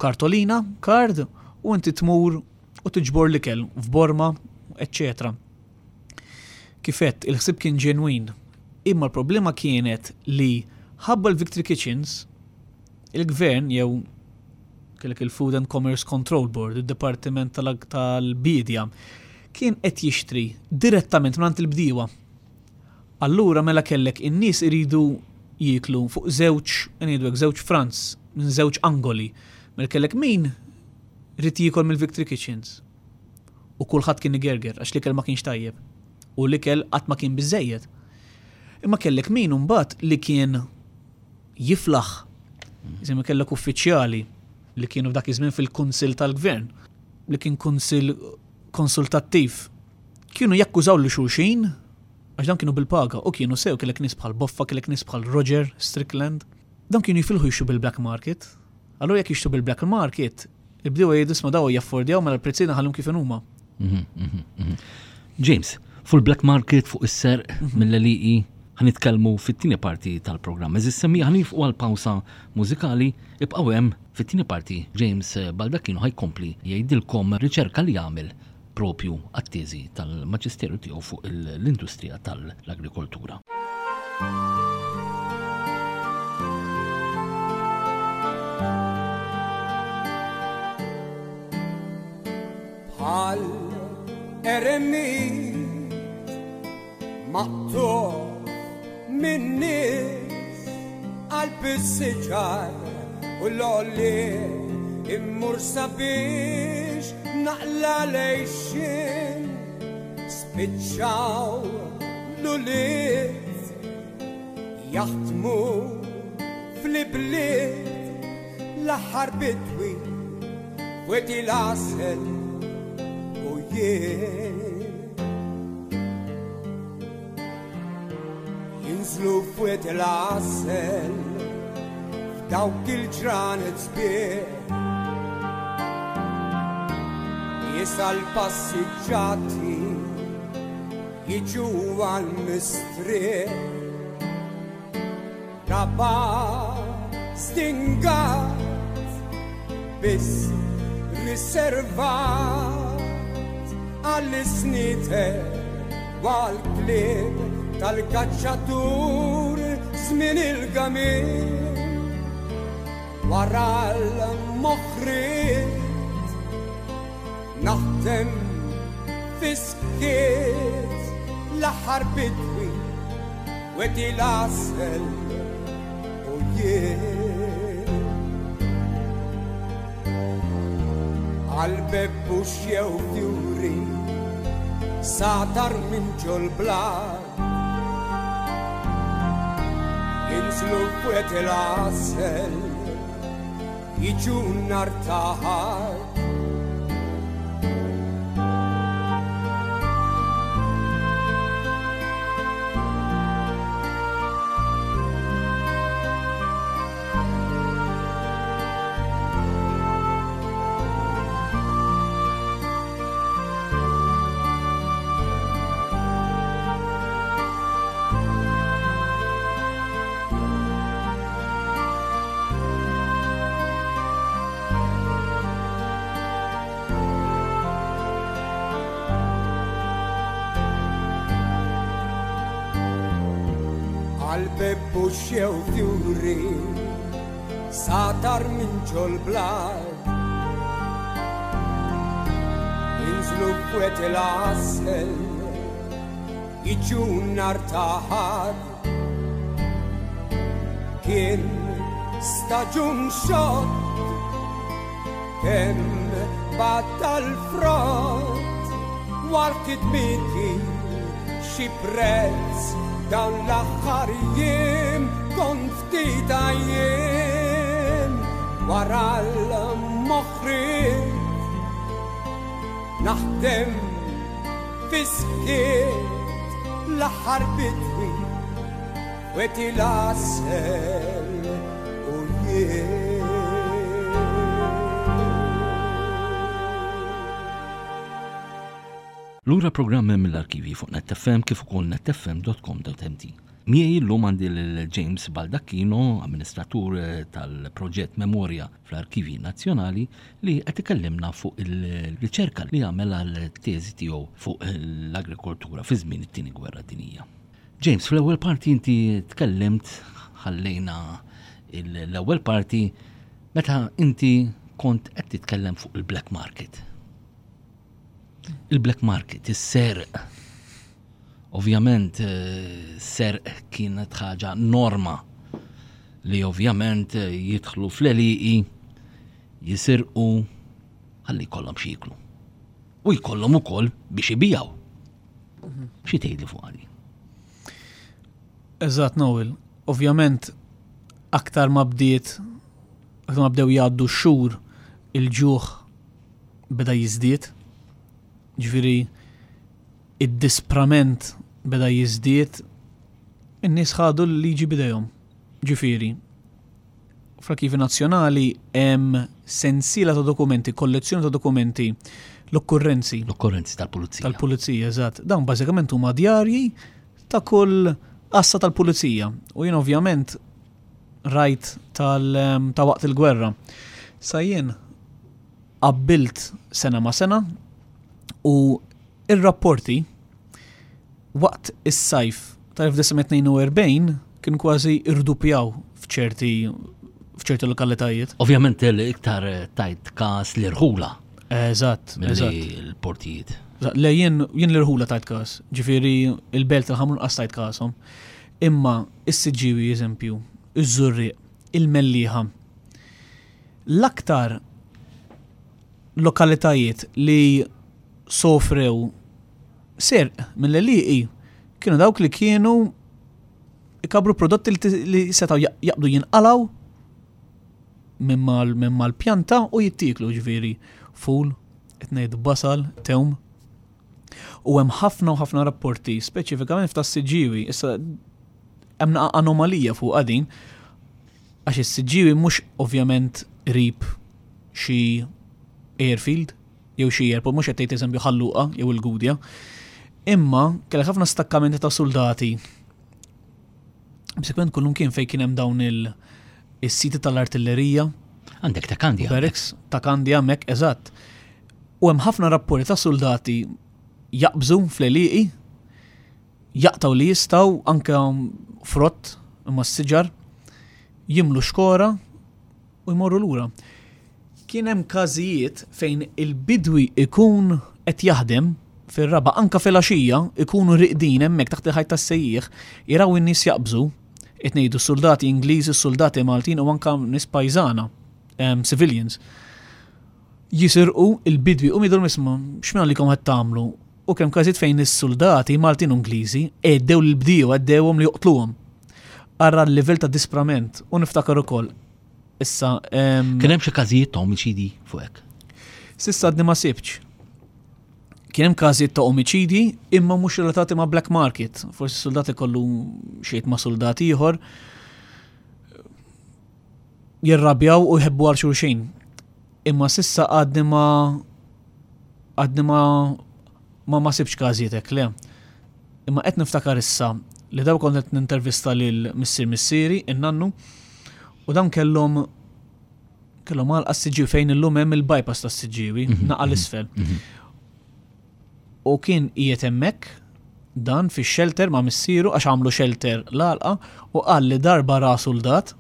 kartolina, card, u inti tmur u tiġbor l-ikel f'borma, eċċetera. Kif għedt, il-ħsieb kien ġenwin, imma l-problema kienet li ħabba l-Victory Kitchens, il-gvern jew kellek il-Food and Commerce Control Board, id-Dipartiment tal-Biedja, kien qed jixtri direttament mingħand il-bdiewa. Allura mela kellek in-nies iridu jieklu fuq żewġ, ngħidu hekk, żewġ fronts, minn żewġ angoli. Mela kellek min ried jiekol mill-Victory Kitchens. U kulħadd kien igerger għax l-ikel ma kienx tajjeb. U l-ikel qatt ma kien biżżejjed. Imma kellek min imbagħad li kien jiflaħ. Iżemmi kellek uffiċjali li kienu f'dak iż-żmien fil-Kunsill tal-Gvern, li kien kunsill konsultattiv Kienu jakkużaw lil xulxin għax dawn kienu bil-paga u kienu sew kellek nies bħal Boffa, kellek nies bħal Roger Strickland. Dawn kienu jifilħu jixtru bil-black market. Allura jekk jixtru bil-black market, il-bdiewa jgħidu isma' dawn jaffordjaw mela l-prezzijiet nħallhom kif inhuma. Mhm, mhm, mhm. James, fuq il-black market, fuq is-serq mill-għelieqi, ħanitkellmu fit-tieni parti tal-programm. Eżis semmi ħanifqu għal pawsa mużikali, ibqgħu hemm fit-tieni parti James Baldacchino ħajkompli jgħidilkom riċerka li għamel propju għat-teżi tal-Maġisteru tiegħu fuq l-industrija tal-agrikoltura. Bħal eremit maqtugħ min-nies qalb is-siġar u l-għolliet immur sabiex naqla' l-għixien spiċċaw l-ulied jaħdmu fl-ibliet l-aħħar bidwi f'Wied il-Għasel u jien. Jinżlu f'Wied il-Għasel f'dawk il-ġranet sbieħ. Nies għall-passiġġati jiġu għall-mistrieħ. Raba' stingat biss riservat għall-isnieter u għall-klieb tal-kaċċatur żmien il-gamil wara l-moħriet naħdem fiskiet. l-aħħar bidwi wedi l-għasel u jien. Għal-bebbux jew fjuri satar minn ġol-blat Jinżlu f'wed il-għasel Jiġu nhar ta' Ħadd. Għal-bebbu xew fjuri satar minn ġol-blat Inżlu fwet il-għasel jiġu nar taħad Kien staġun xott kemm battal frott wara kidmiti xi prezz dawn l-aħħar jiem kont ftit jiem wara l-moħriet naħdem fiskiet l-aħħar bidwi weti l-għasel u jien. Lura programm mill-arkivi fuq netfm kif ukoll netfm.com.mt. Miegħi llum għandi lil James Baldacchino, amministratur tal-proġett Memorja fl-Arkivji Nazzjonali, li qed ikellimna fuq il-riċerka li għamel għal teżi tiegħu fuq l-agrikoltura fi żmien it-Tieni Gwerra Dinjija. James, fl-ewwel parti inti tkellimt ħallejna l-ewwel parti meta inti kont qed titkellem fuq il-black market. Il-black market, is-serq. Ovvjament eh, serq kienet ħaġa norma li ovvjament eh, jidħlu fl-eliqi jisirqu ħalli jkollhom xi jiklu. U jkollhom ukoll biex ibijaw. Xi tgħidli fuq għali? Eżatt, Noel. Ovvjament, aktar ma bdiet, aktar ma bdew jgħaddu x-xhur, il-ġuħ beda jiżdied. Ġifieri id-disprament beda jiżdied, in-nies ħadu l-liġi b'idejhom. Ġifieri, fl-Arkivi Nazzjonali hemm sensiela ta' dokumenti, kollezzjoni ta' dokumenti, l-okkurrenzi. L-okkurrenzi tal-pulizija. Tal-pulizija, eżatt. Dawn bażikament huma djarji ta' kull għassa tal-pulizija. U jien ovvjament rajt tal ta' waqt il-gwerra. Sa jien qabbilt sena ma' sena u ir-rapporti waqt is-sajf tal-1942 kien kważi irdupjaw f'ċerti f'ċerti lokalitajiet. Ovvjament l-iktar tajt każ l-irħula. Eżatt, eżatt. L-portijiet. Le jien jien l-irħula tajt każ, ġifieri il-belt tal-Ħamrun qas tajt każhom. Imma is-Siġġiewi eżempju, iż-Żurrieq, il-Mellieħa. L-aktar lokalitajiet li sofrew serq mill-għelieqi kienu dawk li kienu ikabru prodotti li setgħu jaqbdu jinqalgħu minn mal-pjanta u jittieklu ġifieri ful, qed ngħid basal, tewm. U hemm ħafna u ħafna rapporti, speċifikament f'tas-Siġġiewi, issa hemm anomalija fuq din, għax is-Siġġiewi mhux ovvjament qrib xi airfield jew xi airport, mhux qed tgħid eżempju Ħal Luqa jew il-Gudja. Imma kellek ħafna stakkamenti ta' soldati. B'sekwent kullum kien fejn kien hemm dawn il-siti tal-artillerija. Għandek ta' Kandja. Barracks ta' Kandja hemmhekk, eżatt. U hemm ħafna rapporti ta' soldati jaqbżu fl-għelieqi, jaqtgħu li jistgħu anke frott imma s-siġar, jimlu xkora u jmorru lura. Kien hemm każijiet fejn il-bidwi ikun qed jaħdem fir-raba' anka filgħaxija ikunu riqdin hemmhekk taħt il-ħajt tas-sejjieħ, jaraw in-nies jaqbżu, qed ngħidu soldati Ingliżi, soldati Maltin u anka nies pajżana, civilians. Jisirqu il-bidwi u jgħidulhom isma' x'minn għalikom qed tagħmlu? U kemm każijiet fejn is-suldati Maltin u Ingliżi għeddew lill-bdiewa, għeddewhom li joqtluhom. Ara l-livell ta' disprament u niftakar ukoll issa. Kien hemm xi każijiet ta' omiċidji fuq hekk? S'issa għadni ma sibtx. Kien hemm każijiet ta' omiċidji imma mhux relatati ma' black market. Forsi soldat ikollu xejn ma' soldat ieħor jirrabjaw u jħebbu għal xulxin. Imma s'issa għadni ma għadni ma ma ma sibx każijiet hekk le. Imma qed niftakar issa li daw kont qed nintervista lil missier missieri, in-nannu, u dawn kellhom kellhom għalqa s-Siġġiewi fejn illum hemm il-bypass tas-Siġġiewi, naqa' l-isfel. U kien qiegħed hemmhekk dan fix-shelter ma' missieru għax għamlu shelter l-għalqa u qal li darba ra suldat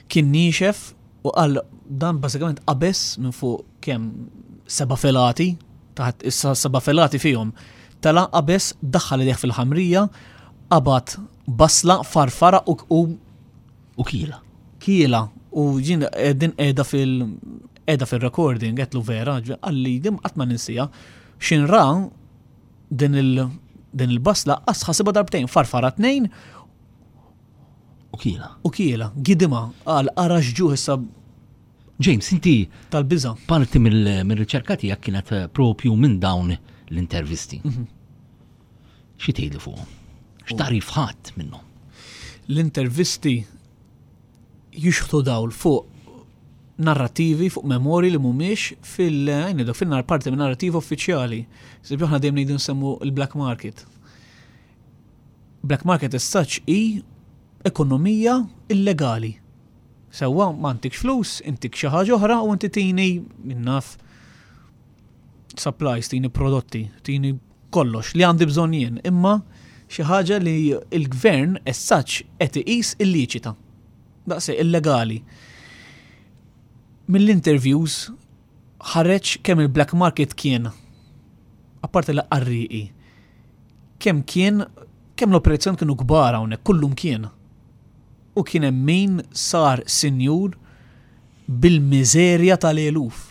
kien niexef u qal dan bażikament qabeż minn fuq kemm seba' filati taħt issa seba' filati fihom. Tela' qabeż daħħal idejh fil-ħamrija, qabad basla, farfara u u U kiela. Kiela u jien din qiegħda fil qiegħda fir-recording għedtlu vera, qalli din qatt ma ninsieha. X'in ra din il din il-basla qas ħasibha darbtejn, farfara tnejn U kiela. U kiela, gidimha, qal ara x'ġuħ issa James, inti tal-biża'. Parti mill-riċerka tiegħek kienet propju minn dawn l-intervisti. Xi tgħidli fuqhom? X'tagħrif ħadd minnhom? L-intervisti jixħtu dawl fuq narrativi, fuq memorji li mhumiex fil fil parti minn narrativa uffiċjali. Sibju aħna dejjem ngħidu nsemmu l-black market. Black market as such hi ekonomija illegali. Sewwa ma ntikx flus, intik xi ħaġa oħra u inti tini min naf supplies, tini prodotti, tini kollox li għandi bżonn jien, imma xi ħaġa li l-gvern as such qed iqis illiċita. Daqshekk illegali. Mill-interviews ħareġ kemm il-black market kien apparti li qarrieqi kemm kien kemm l-operazzjoni kienu kbar hawnhekk kullum kien. U kien hemm min sar sinjur bil-miżerja tal-eluf.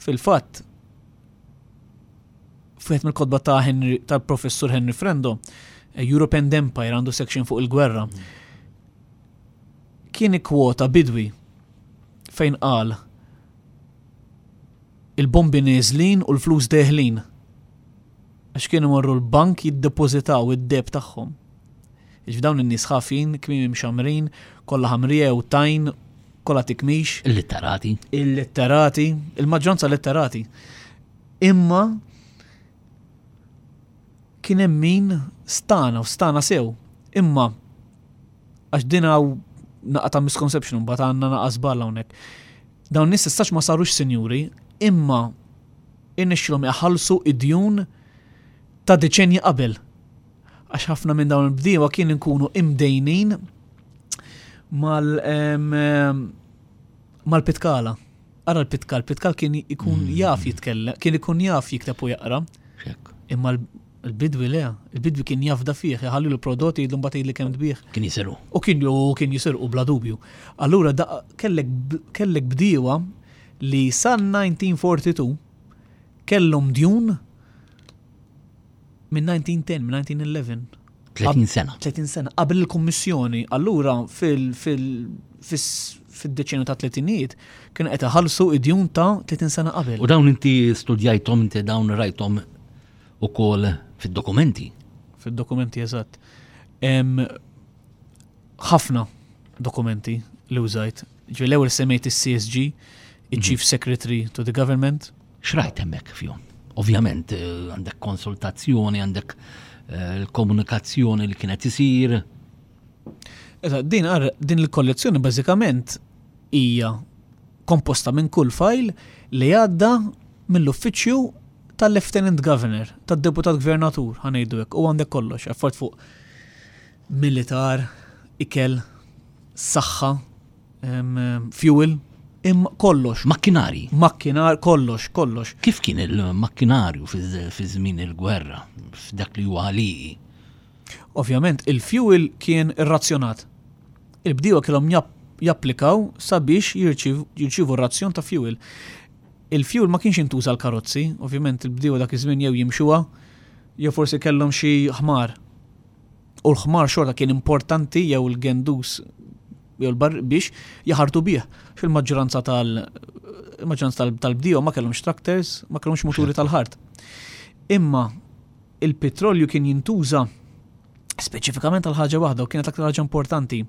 Fil-fatt, f'wieħed mill-kotba ta' Henry tal-professur Henry Frendo, Europe and Empire għandu section fuq il-gwerra. Kien ikkwota bidwi fejn qal il-bombi neżlin u l-flus deħlin. Għax kienu morru l-bank jiddepożitaw id-deheb tagħhom. Jiġifieri dawn in-nies ħafin, kmiemi mxammrin, kollha ħamrija jew tajn, kollha tikmix. Illitterati. Illitterati, il-maġġoranza litterati. Imma kien hemm min stana u stana sew. Imma għax din hawn naqa ta' misconception mbagħad għandna naqa' żball hawnhekk. Dawn nies istax ma sarux sinjuri, imma irnexxilhom iħallsu id-djun ta' deċenji qabel. Għax ħafna minn dawn il-bdiewa kien inkunu imdejnin mal mal-pitkala. Ara l-pitkal, pitkal kien ikun mm. jaf jitkellem, kien ikun jaf jikteb u jaqra. Imma l-bidwi le, il-bidwi kien jafda fih, jħalli l-prodotti jidlu mbagħad jgħidli kemm tbih. Kien jisirqu. U kien kien jisirqu bla dubju. Allura kellek kellek bdiewa li sa 1942 kellhom djun minn 1910, minn 1911. 30 sena. 30 sena qabel il-Kummissjoni. Allura fil fid-deċenju ta' tletinijiet kienu qed iħallsu id-djun ta' 30 sena qabel. U dawn inti studjajthom, inti dawn rajthom ukoll fid-dokumenti. Fid-dokumenti eżatt. Ħafna dokumenti li użajt. Ġifieri l-ewwel semmejt is-CSG, il-Chief mhm. Secretary to the Government. X'rajt hemmhekk fihom? Ovvjament eh, għandek konsultazzjoni, għandek eh, l-komunikazzjoni li kienet isir. Eżatt, din din il-kollezzjoni bażikament hija komposta minn kull fajl li għadda mill-uffiċċju tal-Lieutenant Governor, tad-Deputat Gvernatur, ħanejdu hekk, u għandek kollox, affarijiet fuq militar, ikel, saħħa, fuel. Imma kollox. Makkinari. Makkinar, kollox, kollox. Kif kien il-makkinarju fi żmien il-gwerra, f'dak li huwa għalieqi? Ovvjament, il-fuel kien irrazzjonat. Il-bdiewa kellhom japplikaw sabiex jirċievu razzjon ta' fuel. Il-fuel ma kienx jintuża l-karozzi, ovvjament il-bdiewa dak iż-żmien jew jimxuha, jew forsi kellhom xi ħmar. U l-ħmar xorta kien importanti jew il-gendus jew l-bar biex jaħartu bih. Fil-maġġoranza tal il-maġġoranza tal-bdiewa ma kellhomx tractors, ma kellhomx muturi tal-ħart. Imma il-petrolju kien jintuża speċifikament għal ħaġa waħda u kienet aktar ħaġa importanti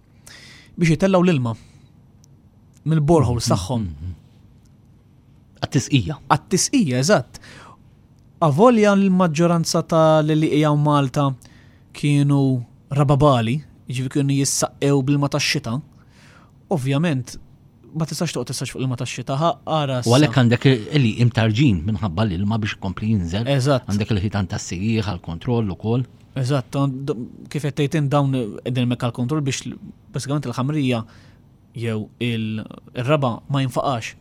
biex jitellgħu l-ilma mill-boreholes tagħhom. Għat-tisqija. Għat-tisqija, eżatt. Avolja l-maġġoranza ta' li qiegħu Malta kienu rababali, jiġifieri kienu jissaqqew bl-ilma tax-xita, ovvjament ma tistax toqgħod tistax fuq l-ilma tax-xita, ara. U għalhekk għandek li imtarġin minħabba l-ilma biex ikompli jinżel. Eżatt. Għandek il-ħitan tas-sejjieħ għall-kontroll ukoll. Eżatt, kif qed tgħid dawn qegħdin hemmhekk għall-kontroll biex basikament il-ħamrija jew il-raba' ma jinfaqax.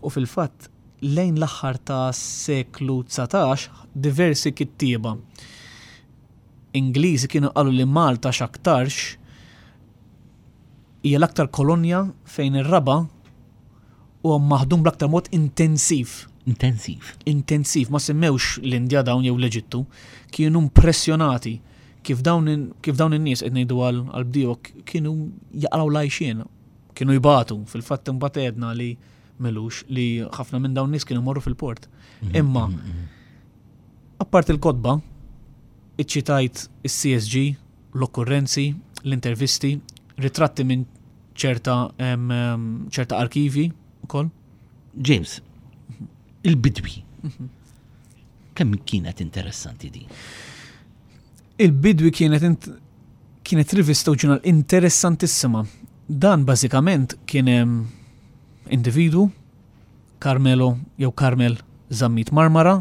U fil-fatt lejn l-aħħar ta' seklu 19 diversi kittieba Ingliżi kienu qalu li Malta x'aktarx hija l-aktar kolonja fejn ir-raba' huwa maħdum bl-aktar mod intensiv. Intensiv. Intensiv, ma semmewx l-Indja dawn jew l-Eġittu, kienu impressjonati kif dawn kif dawn in-nies qed ngħidu għal bdiewa kienu jaqraw l-għajxien, kienu jbatu, fil-fatt imbagħad għedna li Melux li ħafna minn dawn nies kienu morru fil-port. Mhm, Imma mhm, mhm. apart il-kotba, iċċitajt is-CSG, l-okkurrenzi, l-intervisti, ritratti minn ċerta ċerta arkivi ukoll. James, il-bidwi. Kemm kienet interessanti din? Il-bidwi kienet kienet rivista u ġurnal interessantissima. Dan bażikament kien individwu, Carmelo jew Carmel Zammit Marmara.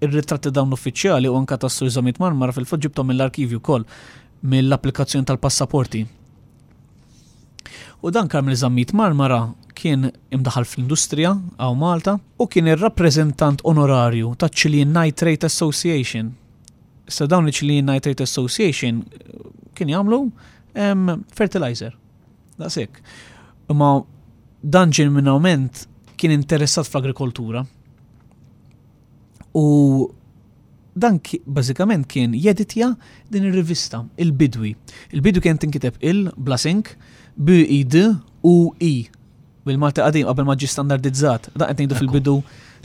Ir-ritratti dawn uffiċjali u anka tas-Sur Zammit Marmara fil-fatt ġibthom mill-arkivju wkoll mill-applikazzjoni tal-passaporti. U dan Carmel Zammit Marmara kien imdaħal fl-industrija hawn Malta u kien ir-rappreżentant onorarju taċ-Chilean Nitrate Association. Issa dawn il-Chilean Nitrate Association kien jagħmlu fertilizer. Daqshekk. Imma dan ġenwinament kien interessat fl-agrikoltura. U dan bażikament kien jeditja din ir-rivista, il-Bidwi. Il-Bidwi kien tinkiteb il blasink B I D U I bil-Malti qadim qabel ma ġie standardizzat. Dan qed ngħidu fil-bidu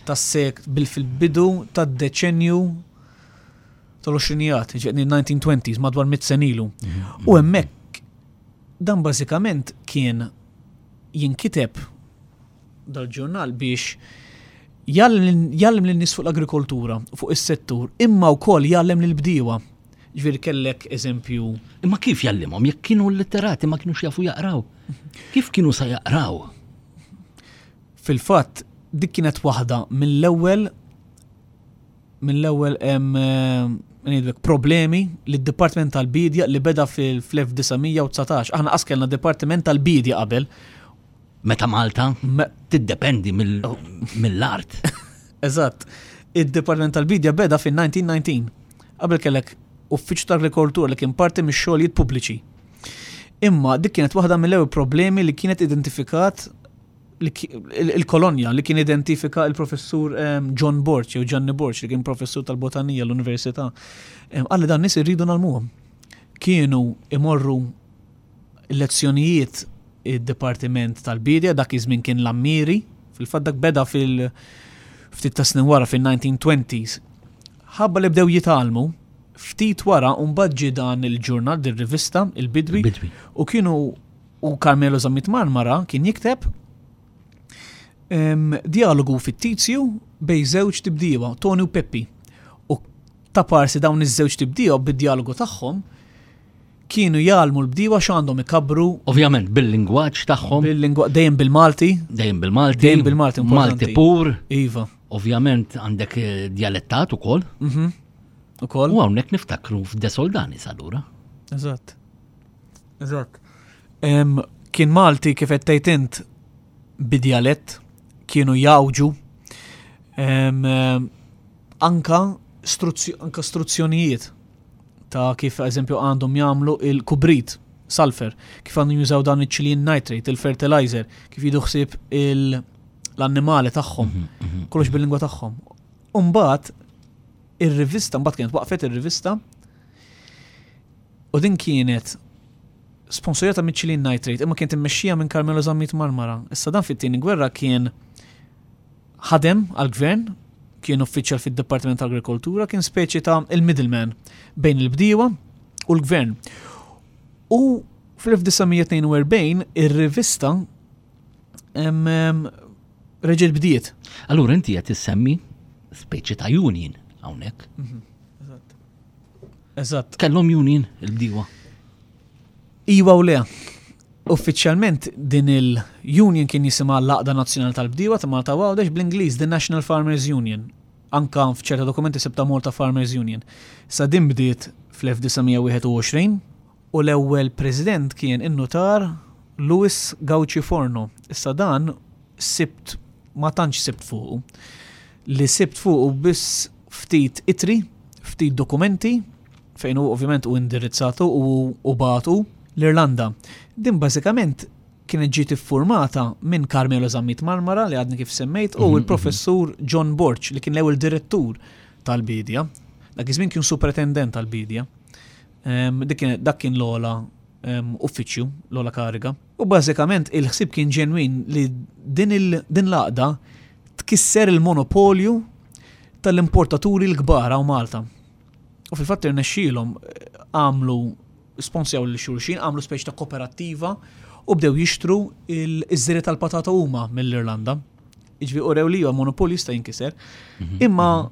tas-sek bil fil-bidu tad-deċenju tal-għoxrinijat, ġifieri 1920s, madwar mit sen ilu. Mhm. U hemmhekk dan bażikament kien jinkiteb dal-ġurnal biex jgħallem lin-nies fuq l-agrikoltura, fuq is-settur, imma wkoll jgħallem lill-bdiewa. Ġifieri kellek eżempju. Imma kif jgħallimhom jekk kienu litterati ma kienux jafu jaqraw? Kif kienu sa jaqraw? Fil-fatt, dik kienet waħda mill-ewwel mill-ewwel hemm ngħidlek problemi li d-Dipartiment tal-Bidja li beda fil-1919. Aħna qas kellna Dipartiment tal-Bidja qabel. Meta Malta tiddependi mill-art. Eżatt. Id-Dipartiment tal-Bidja beda fil-1919. Qabel kellek uffiċċju tal-agrikoltura li kien parti mix-xogħlijiet pubbliċi. Imma dik kienet waħda mill-ewwel problemi li kienet identifikat il-kolonja li kien identifika il-professur ehm, John Borch jew Gianni Borch li kien professur tal-botanija l-università. Ehm, Qalli dan nies irridu nagħlmuhom. Kienu imorru lezzjonijiet id-Dipartiment tal-Bidja, dak iż-żmien kien l-Ammiri, fil-fatt dak beda fil- ftit ta' snin wara fil-1920s. Ħabba li bdew jitgħallmu, ftit wara mbagħad ġie dan il-ġurnal, din rivista, il-Bidwi, u kienu U Carmelo Zammit Marmara kien jikteb dialogu fittizju bej żewġ tibdiewa, Tony u Peppi. U ta' parsi dawn iż-żewġ tibdiewa bid-dialogu tagħhom kienu jgħallmu l-bdiewa x'għandhom ikabbru. Ovvjament bil-lingwaġġ tagħhom. Bil-lingwa dejjem bil-Malti. Dejjem bil-Malti. Dejjem bil-Malti. Malti pur. Iva. Ovvjament għandek eh, djalettat ukoll. Mhm. Ukoll. U hawnhekk niftakru f'De Soldanis allura. Eżatt. Eżatt. Kien Malti kif qed tgħid int bidjalett, kienu jawġu anka anka struzzjonijiet ta' kif eżempju għandhom jagħmlu il-kubrit sulfur, kif għandhom jużaw dan iċ-Chilean nitrate, il-fertilizer, kif jidu ħsieb l-annimali tagħhom, mhm, mhm. kollox bil-lingwa tagħhom. Umbagħad ir-rivista, mbagħad kienet waqfet ir-rivista u din kienet sponsorjata minn Chilean Nitrate, imma kienet immexxija minn Carmelo Zammit Marmara. Issa dan fit-tieni gwerra kien ħadem għall-gvern, kien uffiċjal fid-Dipartiment tal-Agrikoltura, kien speċi ta' il-middleman bejn il-bdiewa u l-gvern. U fl-1942 ir-rivista reġgħet bdiet. Allura inti qed issemmi speċi ta' union hawnhekk. Mhm, eżatt. Eżatt. Kellhom union il-bdiewa. Iwa u le. Uffiċjalment din il-union kien jisimha l-Għaqda Nazzjonali tal-Bdiewa ta' Malta u Għawdex bl-Ingliż The National Farmers Union. Anka f'ċerta dokumenti sibta Malta Farmers Union. Sa din bdiet fl-1921 u l-ewwel president kien in-nutar Louis Gauci Forno. Issa dan sibt ma tantx sibt fuqu. Li sibt fuqu biss ftit ittri, ftit dokumenti fejn hu ovvjament hu indirizzatu u u bagħtu l-Irlanda. Din bażikament kienet ġiet iffurmata minn Carmelo Zammit Marmara li għadni kif semmejt u mhm, l-professur mhm. John Borg li kien l-ewwel direttur tal-bidja. Dak iż-żmien kien superintendent tal-bidja. Ehm, dak kien l-ogħla ehm, uffiċċju, l-ogħla kariga. U bażikament il-ħsieb kien ġenwin li din l-għaqda tkisser il-monopolju tal-importaturi l-kbar hawn Malta. U fil-fatt irnexxielhom eh, għamlu sponsjaw lil xulxin, għamlu speċi ta' koperattiva u bdew jixtru iż-żiri tal-patata huma mill-Irlanda. Iġvi urew li huwa monopolju jista' jinkiser. Mhm. Imma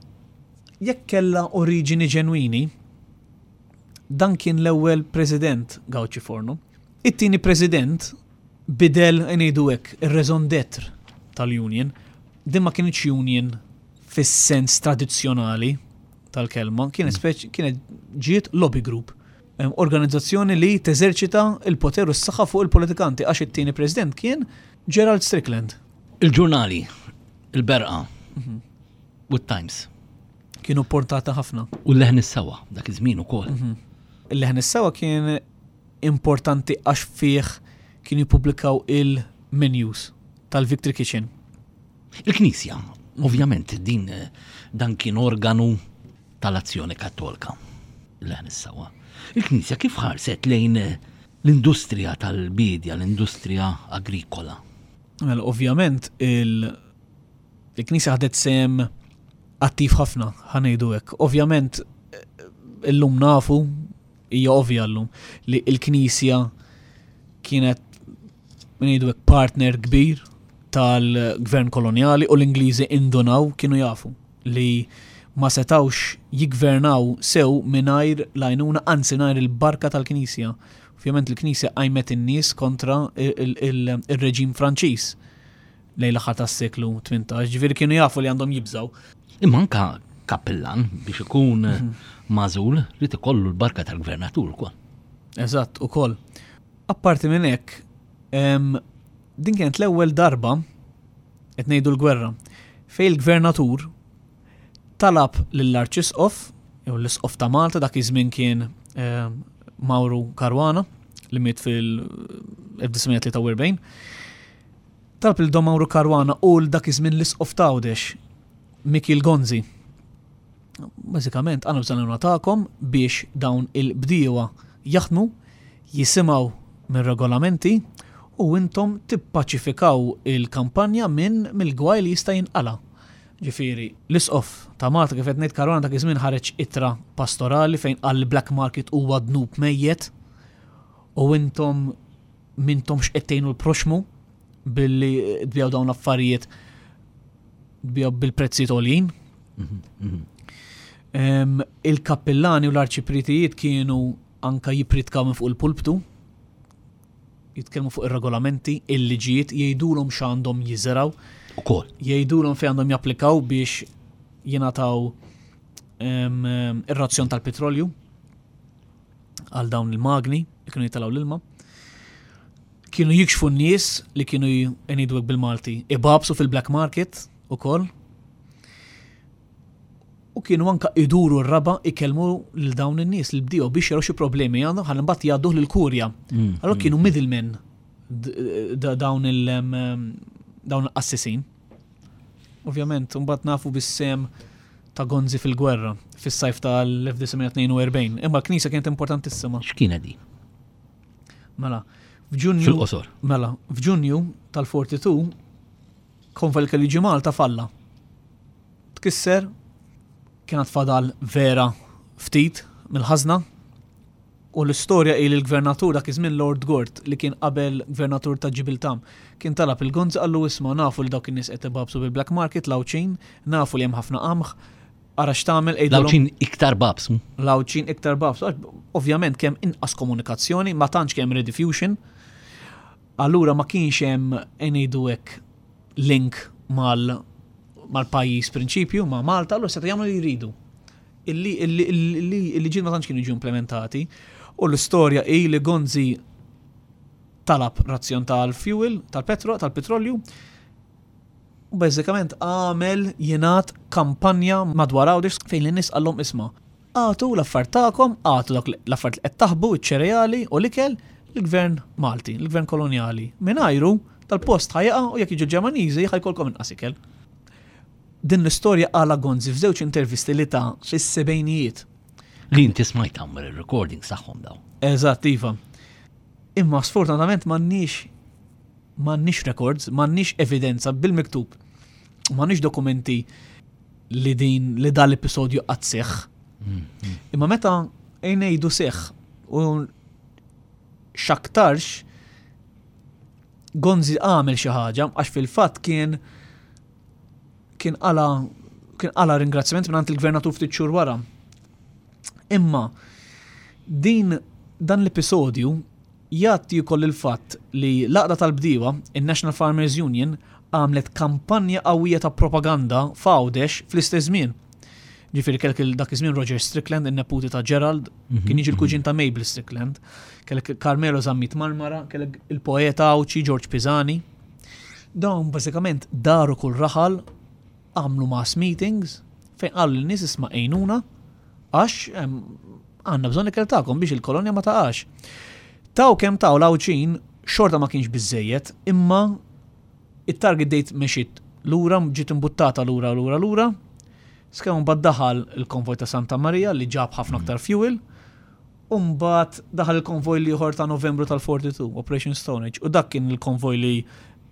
jekk kellha oriġini ġenwini, dan kien l-ewwel president Gauci Forno. It-tieni president bidel ngħidu hekk ir-raison d'être tal-union. Din ma kienx union fis-sens tradizzjonali tal-kelma, kienet mm. kienet ġiet lobby group. Organizzazzjoni li teżerċita il-poter u s-saħħa fuq il-politikanti għax it-tieni president kien Gerald Strickland. Il-ġurnali, il-berqa mhm. u t-Times. Kienu portata ħafna. U l-leħen is-sawa, dak iż-żmien ukoll. Mhm. Il-leħen is-sawa kien importanti għax fih kienu jippubblikaw il-menus tal-Victory Kitchen. Il-Knisja, ovvjament, din dan kien organu tal-Azzjoni Kattolka. Leħen is-sawa. Il-Knisja kif ħarset lejn l-industrija tal-biedja, l-industrija agrikola? Mela, ovvjament, il-Knisja ħadet sehem attiv ħafna, ħanejdu hekk. Ovvjament, illum nafu, hija ovvja llum, li l-Knisja kienet ngħidu hekk partner kbir tal-gvern kolonjali u l-Ingliżi indunaw kienu jafu li ma setawx jiggvernaw sew mingħajr l-għajnuna anzi mingħajr il-barka tal-Knisja. Ovvjament il-Knisja qajmet in-nies kontra il-reġim Franċiż lejn l-aħħar tas-seklu 18, ġifieri kienu jafu li għandhom jibżgħu. Imma anka kappillan biex ikun mhm. magħżul li ikollu l-barka tal-gvernatur ukoll. Eżatt, ukoll. Apparti minn hekk, din kienet l-ewwel darba qed ngħidu l-gwerra fejn il-gvernatur talab lill-Arċisqof jew l-Isqof ta' Malta dak iż-żmien kien Mauro Caruana li miet fil-1943. Talab lil Don Mauro Caruana u l dak iż-żmien l-Isqof ta' Għawdex Mikiel Gonzi Bażikament għandna bżonn l-għajnuna tagħkom biex dawn il-bdiewa jaħdmu, jisimgħu mir-regolamenti u intom tippaċifikaw il-kampanja minn mill-gwaj li jista' jinqala'. Ġifieri, l-Isqof ta' Malta kif qed ngħid Caruana dak iż-żmien ħareġ ittra pastorali fejn qal li black market huwa dnub mejjet u intom m'intomx qed tgħinu l-proxxmu billi tbigħu dawn l-affarijiet tbigħu bil-prezzijiet għoljin. Mhm, mhm. Il-kappillani u l-arċipritijiet kienu anka jipritkaw minn fuq il-pulptu, jitkellmu fuq ir-regolamenti, il-liġijiet, jgħidulhom x'għandhom jiżraw. Ukoll. Jgħidulhom fejn għandhom japplikaw biex jingħataw ir-razzjon tal-petrolju għal dawn il-magni li kienu jitalgħu l-ilma. Kienu jikxfu n-nies li kienu ngħidu bil-Malti ibabsu fil-black market ukoll. U kienu anka iduru r-raba ikellmu lil dawn in-nies li bdiew biex jaraw xi problemi għandhom ħalli mbagħad jgħadduh lill-kurja. Allura kienu middlemen dawn il dawn il-qassisin. Ovvjament, mbagħad nafu bis-sem ta' Gonzi fil-gwerra fis-sajf tal-1942. Imma l-knisja kienet importantissima. X'kienet di? Mela, f'Ġunju. Fil-qosor. Mela, f'Ġunju tal-42 konvoj li kellu jiġi Malta falla. Tkisser, kienet fadal vera ftit mill-ħażna u l-istorja hi li l-gvernatur dak iż-żmien Lord Gort li kien qabel gvernatur ta' Ġibiltà kien talab il-Gonzi qallu isma' nafu li dawk in-nies qed ibabsu bil-black market l-Għawdxin, nafu li hemm ħafna qamħ, ara x'tagħmel għidilhom. L-Għawdxin iktar babsu. L-Għawdxin iktar babsu għax ovvjament kemm inqas komunikazzjoni, ma tantx kemm rediffusion. Allura ma kienx hemm ngħidu hekk link mal mal-pajjiż prinċipju ma' Malta, allura setgħu jagħmlu li jridu. Il-liġijiet ma tantx kienu jiġu implementati u l-istorja hi li Gonzi talab razzjon tal-fuel, tal-petro, tal-petrolju, u bażikament għamel jingħad kampanja madwar Għawdex fejn lin-nies qallhom isma' agħtu l-affarijiet tagħkom, agħtu dak l-affarijiet li qed taħbu, iċ-ċereali u l-ikel lill-gvern Malti, lill-gvern kolonjali. Mingħajru dal-post ħa jaqa' u jekk jiġu l-Ġermaniżi ħa jkollkom inqas ikel. Din l-istorja qalha Gonzi f'żewġ intervisti li ta fis-sebgħinijiet. Li inti smajt hawn ir-recordings tagħhom dawn. Eżatt, iva. Imma sfortunatament m'għandniex m'għandniex records, m'għandniex evidenza bil-miktub, m'għandniex dokumenti li din li dan l-episodju qatt seħħ. Imma meta ngħidu seħħ u x'aktarx Gonzi għamel xi ħaġa għax fil-fatt kien kien qala kien qala ringrazzjament mingħand il-gvernatur ftit xhur wara. Imma din dan l-episodju Jgħatti wkoll il-fatt li l-Għaqda tal-Bdiewa, in-National Farmers Union, għamlet kampanja qawwija ta' propaganda f'Għawdex fl-istess żmien. Ġifieri kellek il dak iż-żmien Roger Strickland, in-neputi ta' Gerald, kien jiġi l-kuġin ta' Mabel Strickland, kellek Carmelo Zammit Marmara, kellek il-poeta Għawdxi George Pisani. Dawn bażikament daru kull raħal, għamlu mass meetings fejn qalu lin-nies isma' għinuna għax Għandna bżonn ikel tagħkom biex il-kolonja ma taqax. Taw kemm taw l-Għawdxin xorta ma kienx biżżejjed, imma it-target date mexiet lura, ġiet imbuttata lura lura lura, sakemm imbagħad daħal il-konvoj ta' Santa Marija li ġab ħafna aktar fuel, u mbagħad daħal il-konvoj l-ieħor ta' Novembru tal-42, Operation Stone Age, u dak kien il-konvoj li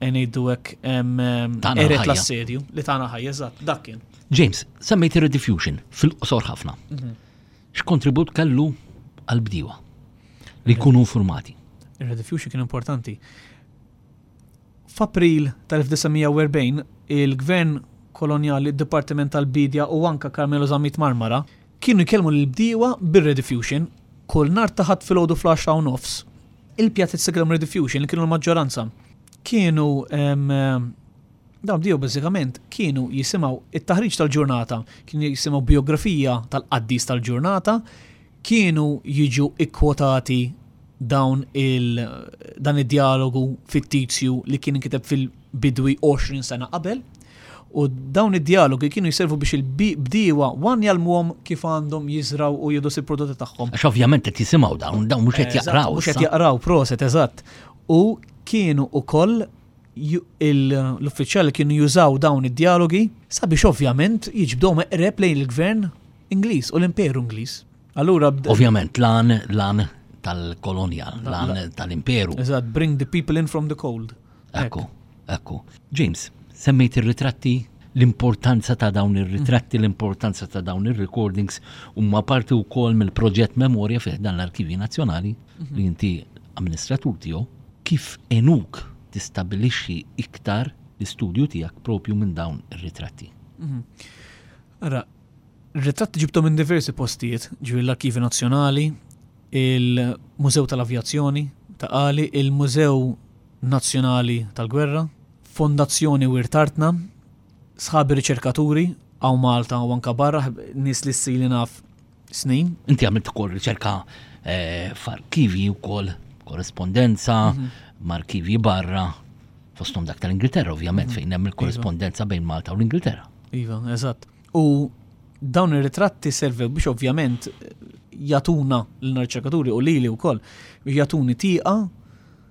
ngħidu hekk eret l-assedju, li tana ħajja, eżatt, dak kien. James, semmejt ir-rediffusion fil-qosor ħafna. X'kontribut kellu għall-bdiewa li jkunu informati? Ir-rediffusion kien importanti. F'April tal-1940, il-gvern kolonjali, id-Dipartiment tal-Biedja u anka Carmelo Zammit Marmara kienu jkellmu lill-bdiewa bir-rediffusion kull nhar ta' Ħadd filgħodu fl-għaxra u nofs. Il-pjazez li kellhom rediffusion li kienu l-maġġoranza kienu Dawn bdiew bażikament kienu jisimgħu it-taħriġ tal-ġurnata, kienu jisimgħu bijografija tal-qaddis tal-ġurnata, kienu jiġu ikkwotati dawn il dan id-djalogu fittizju li kien inkiteb fil-bidwi 20 sena qabel. U dawn id-djalogi kienu jservu biex il-bdiewa wan jgħallmuhom kif għandhom jiżraw u jieħdu il-prodotti tagħhom. Għax ovvjament qed jisimgħu dawn, dawn mhux qed jaqraw. Mhux qed jaqraw, proset, eżatt. U kienu ukoll l-uffiċjali kienu jużaw dawn id-djalogi sabiex ovvjament jiġbduhom eqreb lejn il-gvern Ingliż u l-Imperu Ingliż. Allura Ovvjament l-għan l-għan tal-kolonja, l-għan tal-imperu. Eżatt, bring the people in from the cold. Ekku, ekku. James, semmejt ir-ritratti l-importanza ta' dawn ir-ritratti, l-importanza ta' dawn ir-recordings huma parti wkoll mill-proġett Memorja fih dan l-Arkivji Nazzjonali li inti amministratur tiegħu. Kif għenuk tistabbilixxi iktar l-istudju tiegħek propju minn dawn ir-ritratti? Mhm. Ara, ritratti ġibtom minn diversi postijiet, ġifieri l-Arkivi Nazzjonali, il-Mużew tal-Avjazzjoni ta' Qali, il-Mużew Nazzjonali tal-Gwerra, Fondazzjoni Wirt Artna, sħabi riċerkaturi hawn Malta u anka barra, nies li ssili naf snin. Inti għamilt ukoll riċerka eh, f'arkivi wkoll. korrespondenza, mhm. ma' arkivji barra, fosthom dak tal-Ingilterra ovvjament mhm. fejn hemm il-korrespondenza iva. bejn Malta u l-Ingilterra. Iva, eżatt. U dawn ir-ritratti servew biex ovvjament jagħtuna l-riċerkaturi u lili wkoll biex jagħtuni tieqa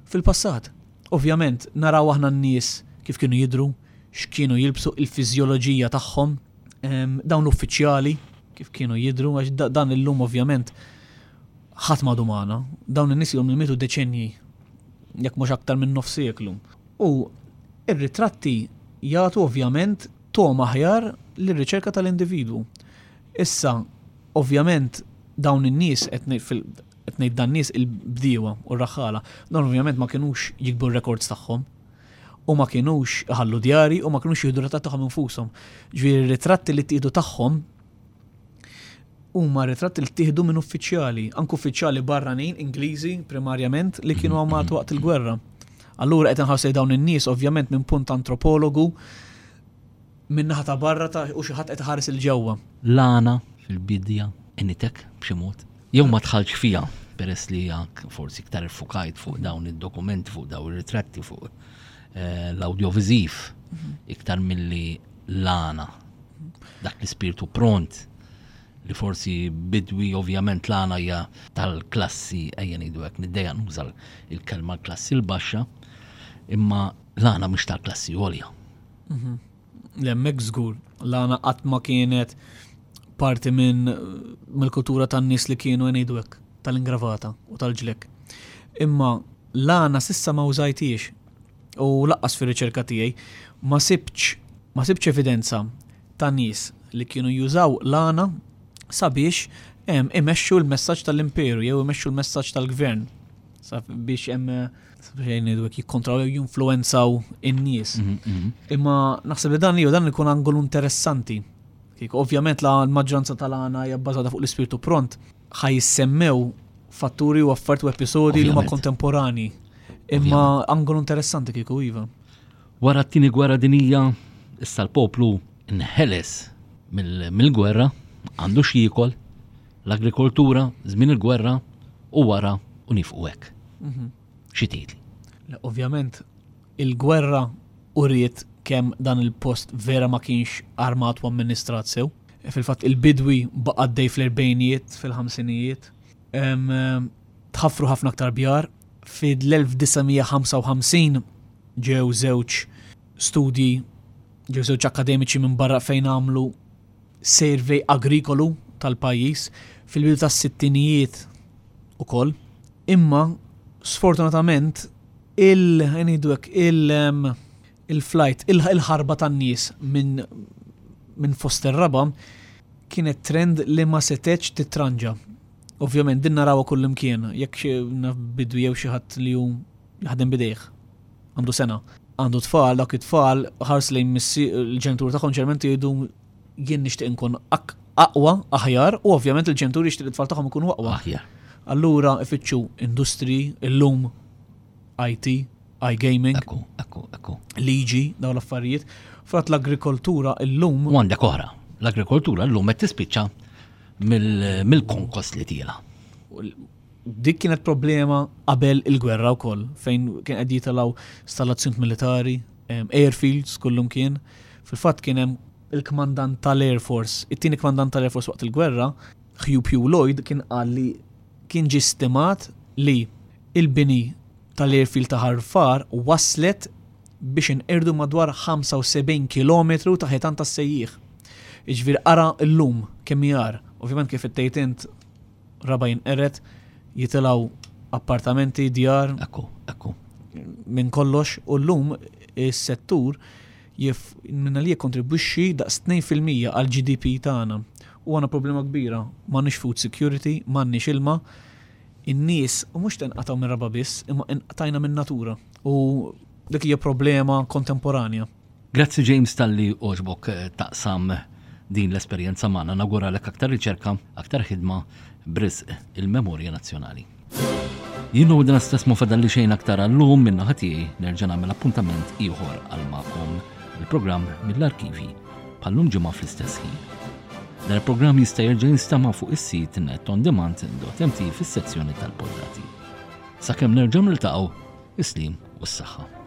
fil-passat. Ovvjament naraw aħna n-nies kif kienu jidhru, x'kienu jilbsu, il-fiżjoloġija tagħhom, dawn l-uffiċjali kif kienu jidhru, għax dan illum ovvjament ħadd m'għadu magħna. Dawn in-nies ilhom li mietu deċennji, jekk mhux aktar minn nofs seklu. U ir-ritratti jagħtu ovvjament togħma aħjar lir-riċerka tal-individwu. Issa, ovvjament dawn in-nies qed ngħid dan nies il-bdiewa u r-raħħala, dawn ovvjament ma kinux jiktbu r-rekords tagħhom u ma kinux iħallu djari u ma kinux jieħdu ritratti tagħhom infushom. Ġifieri r-ritratti li ttieħdu tagħhom huma ritratti li ttieħdu minn uffiċjali, anke uffiċjali barranin Ingliżi primarjament li kienu għamatu waqt il-gwerra. Allura qed inħarsej dawn in-nies ovvjament minn punt antropologu minn naħa ta' barra ta' u xi ħadd qed iħares il ġewwa. L-għana fil-bidja għenitek b'xi mod? Jew ma dħaltx fiha peress li forsi iktar iffukajt fuq dawn id-dokumenti, fuq dawn ir-ritratti, fuq eh, l-awdjoviżiv iktar milli l-għana. Dak l-ispirtu pront li forsi bidwi ovvjament l-għana hija tal-klassi ejja ngħidu hekk niddejja nuża l-kelma l-klassi l-baxxa, imma l-għana mhux tal-klassi għolja. Mhm. L-hemmhekk żgur, l-għana qatt ma kienet parti minn mill-kultura tan-nies li kienu ngħidu hekk tal-ingravata u tal-ġlek. Imma l-għana sissa ma użajtiex u laqqas fir-riċerka tiegħi ma sibtx ma sibtx evidenza ta' nies li kienu jużaw l-għana sabiex imexxu l-messaġġ tal-imperu jew imexxu l-messaġġ tal-gvern biex hemm sabiex ngħidu hekk jikkontrollaw jew jinfluwenzaw in-nies. Mhm, mhm. Imma naħseb li dan jew dan ikun angolu interessanti. Kieku ovvjament la l-maġġoranza tal-għana hija bbażata fuq l-ispirtu pront, ħaj jissemmew fatturi u affarijiet u episodi li huma kontemporani. Imma angolu interessanti kieku iva. Wara t-tieni gwerra dinija, issa l-poplu nħeles mill-gwerra, għandu x'jiekol, l-agrikoltura, żmien il-gwerra u wara u nifqu hekk. Mhm. Xi tgħidli? Ovvjament, il-gwerra uriet kemm dan il-post vera ma kienx armat u amministrat sew. Fil-fatt il-bidwi baqa' għaddej fl-erbejnijiet, fil-ħamsinijiet. Tħaffru ħafna aktar bjar. Fil-1955 ġew żewġ studji, ġew żewġ akademiċi minn barra fejn għamlu survey agrikolu tal-pajjiż fil-bidu tas-sittinijiet ukoll. Imma sfortunatament il ngħidu hekk il il-flight, il-ħarba tan-nies minn minn fost ir-raba' kienet trend li ma setgħetx titranġa. Ovvjament din narawha kullimkien, jekk xi bidwi jew xi ħadd li hu jaħdem b'idejh, għandu sena, għandu tfal, dawk it-tfal ħars lejn il-ġenituri tagħhom ġeneralment jgħidu jien nixtieq inkun aqwa, aħjar, u ovvjament il-ġenituri jixtieq it-tfal tagħhom ikunu aqwa. Aħjar. Allura ifittxu industri, illum IT, iGaming. Ekku, ekku, ekku. Liġi, dawn l-affarijiet. Frat l-agrikoltura illum. U għandek oħra. L-agrikoltura llum qed tispiċċa mill-konkos li tiela. Dik kienet problema qabel il-gwerra wkoll, fejn kien qed jitilgħu stallazzjonijiet militari, airfields kullum kien. Fil-fatt kien hemm il-kmandant tal-Air Force, it-tieni kmandant tal-Air Force waqt il-gwerra, Hugh Pugh Lloyd kien qal li kien ġie stimat li il-bini tal-airfield ta' Ħar wasslet biex inqirdu madwar 75 kilometru ta' ħitan tas-sejjieħ. Jiġifieri ara llum kemm hi agħar. Ovvjament kif qed tgħid int raba' jinqered, jitilgħu appartamenti, djar. Ekku, ekku. Minn kollox u llum is-settur minna li jikkontribwixxi daqs 2% għall-GDP tagħna. U għandna problema kbira, m'għandniex food security, m'għandniex ilma. In-nies u mhux tinqatgħu mir-raba' biss, imma inqtajna min-natura. U dik hija problema kontemporanja. Grazzi James talli għoġbok eh, taqsam din l-esperjenza magħna. Nawguralek aktar riċerka, aktar ħidma b'risq il-memorja nazzjonali. Jien u dan stess ma fadalli xejn aktar għallum minn naħa tiegħi nerġa' nagħmel appuntament ieħor għal magħkom il-programm mill-arkivi bħallum ġimgħa fl-istess ħin. Dan il-programm jista' jerġa' jinstama' fuq is-sit netondemand.mt fis-sezzjoni tal-poddati. Sakemm nerġgħu niltaqgħu, is-slim u s-saħħa.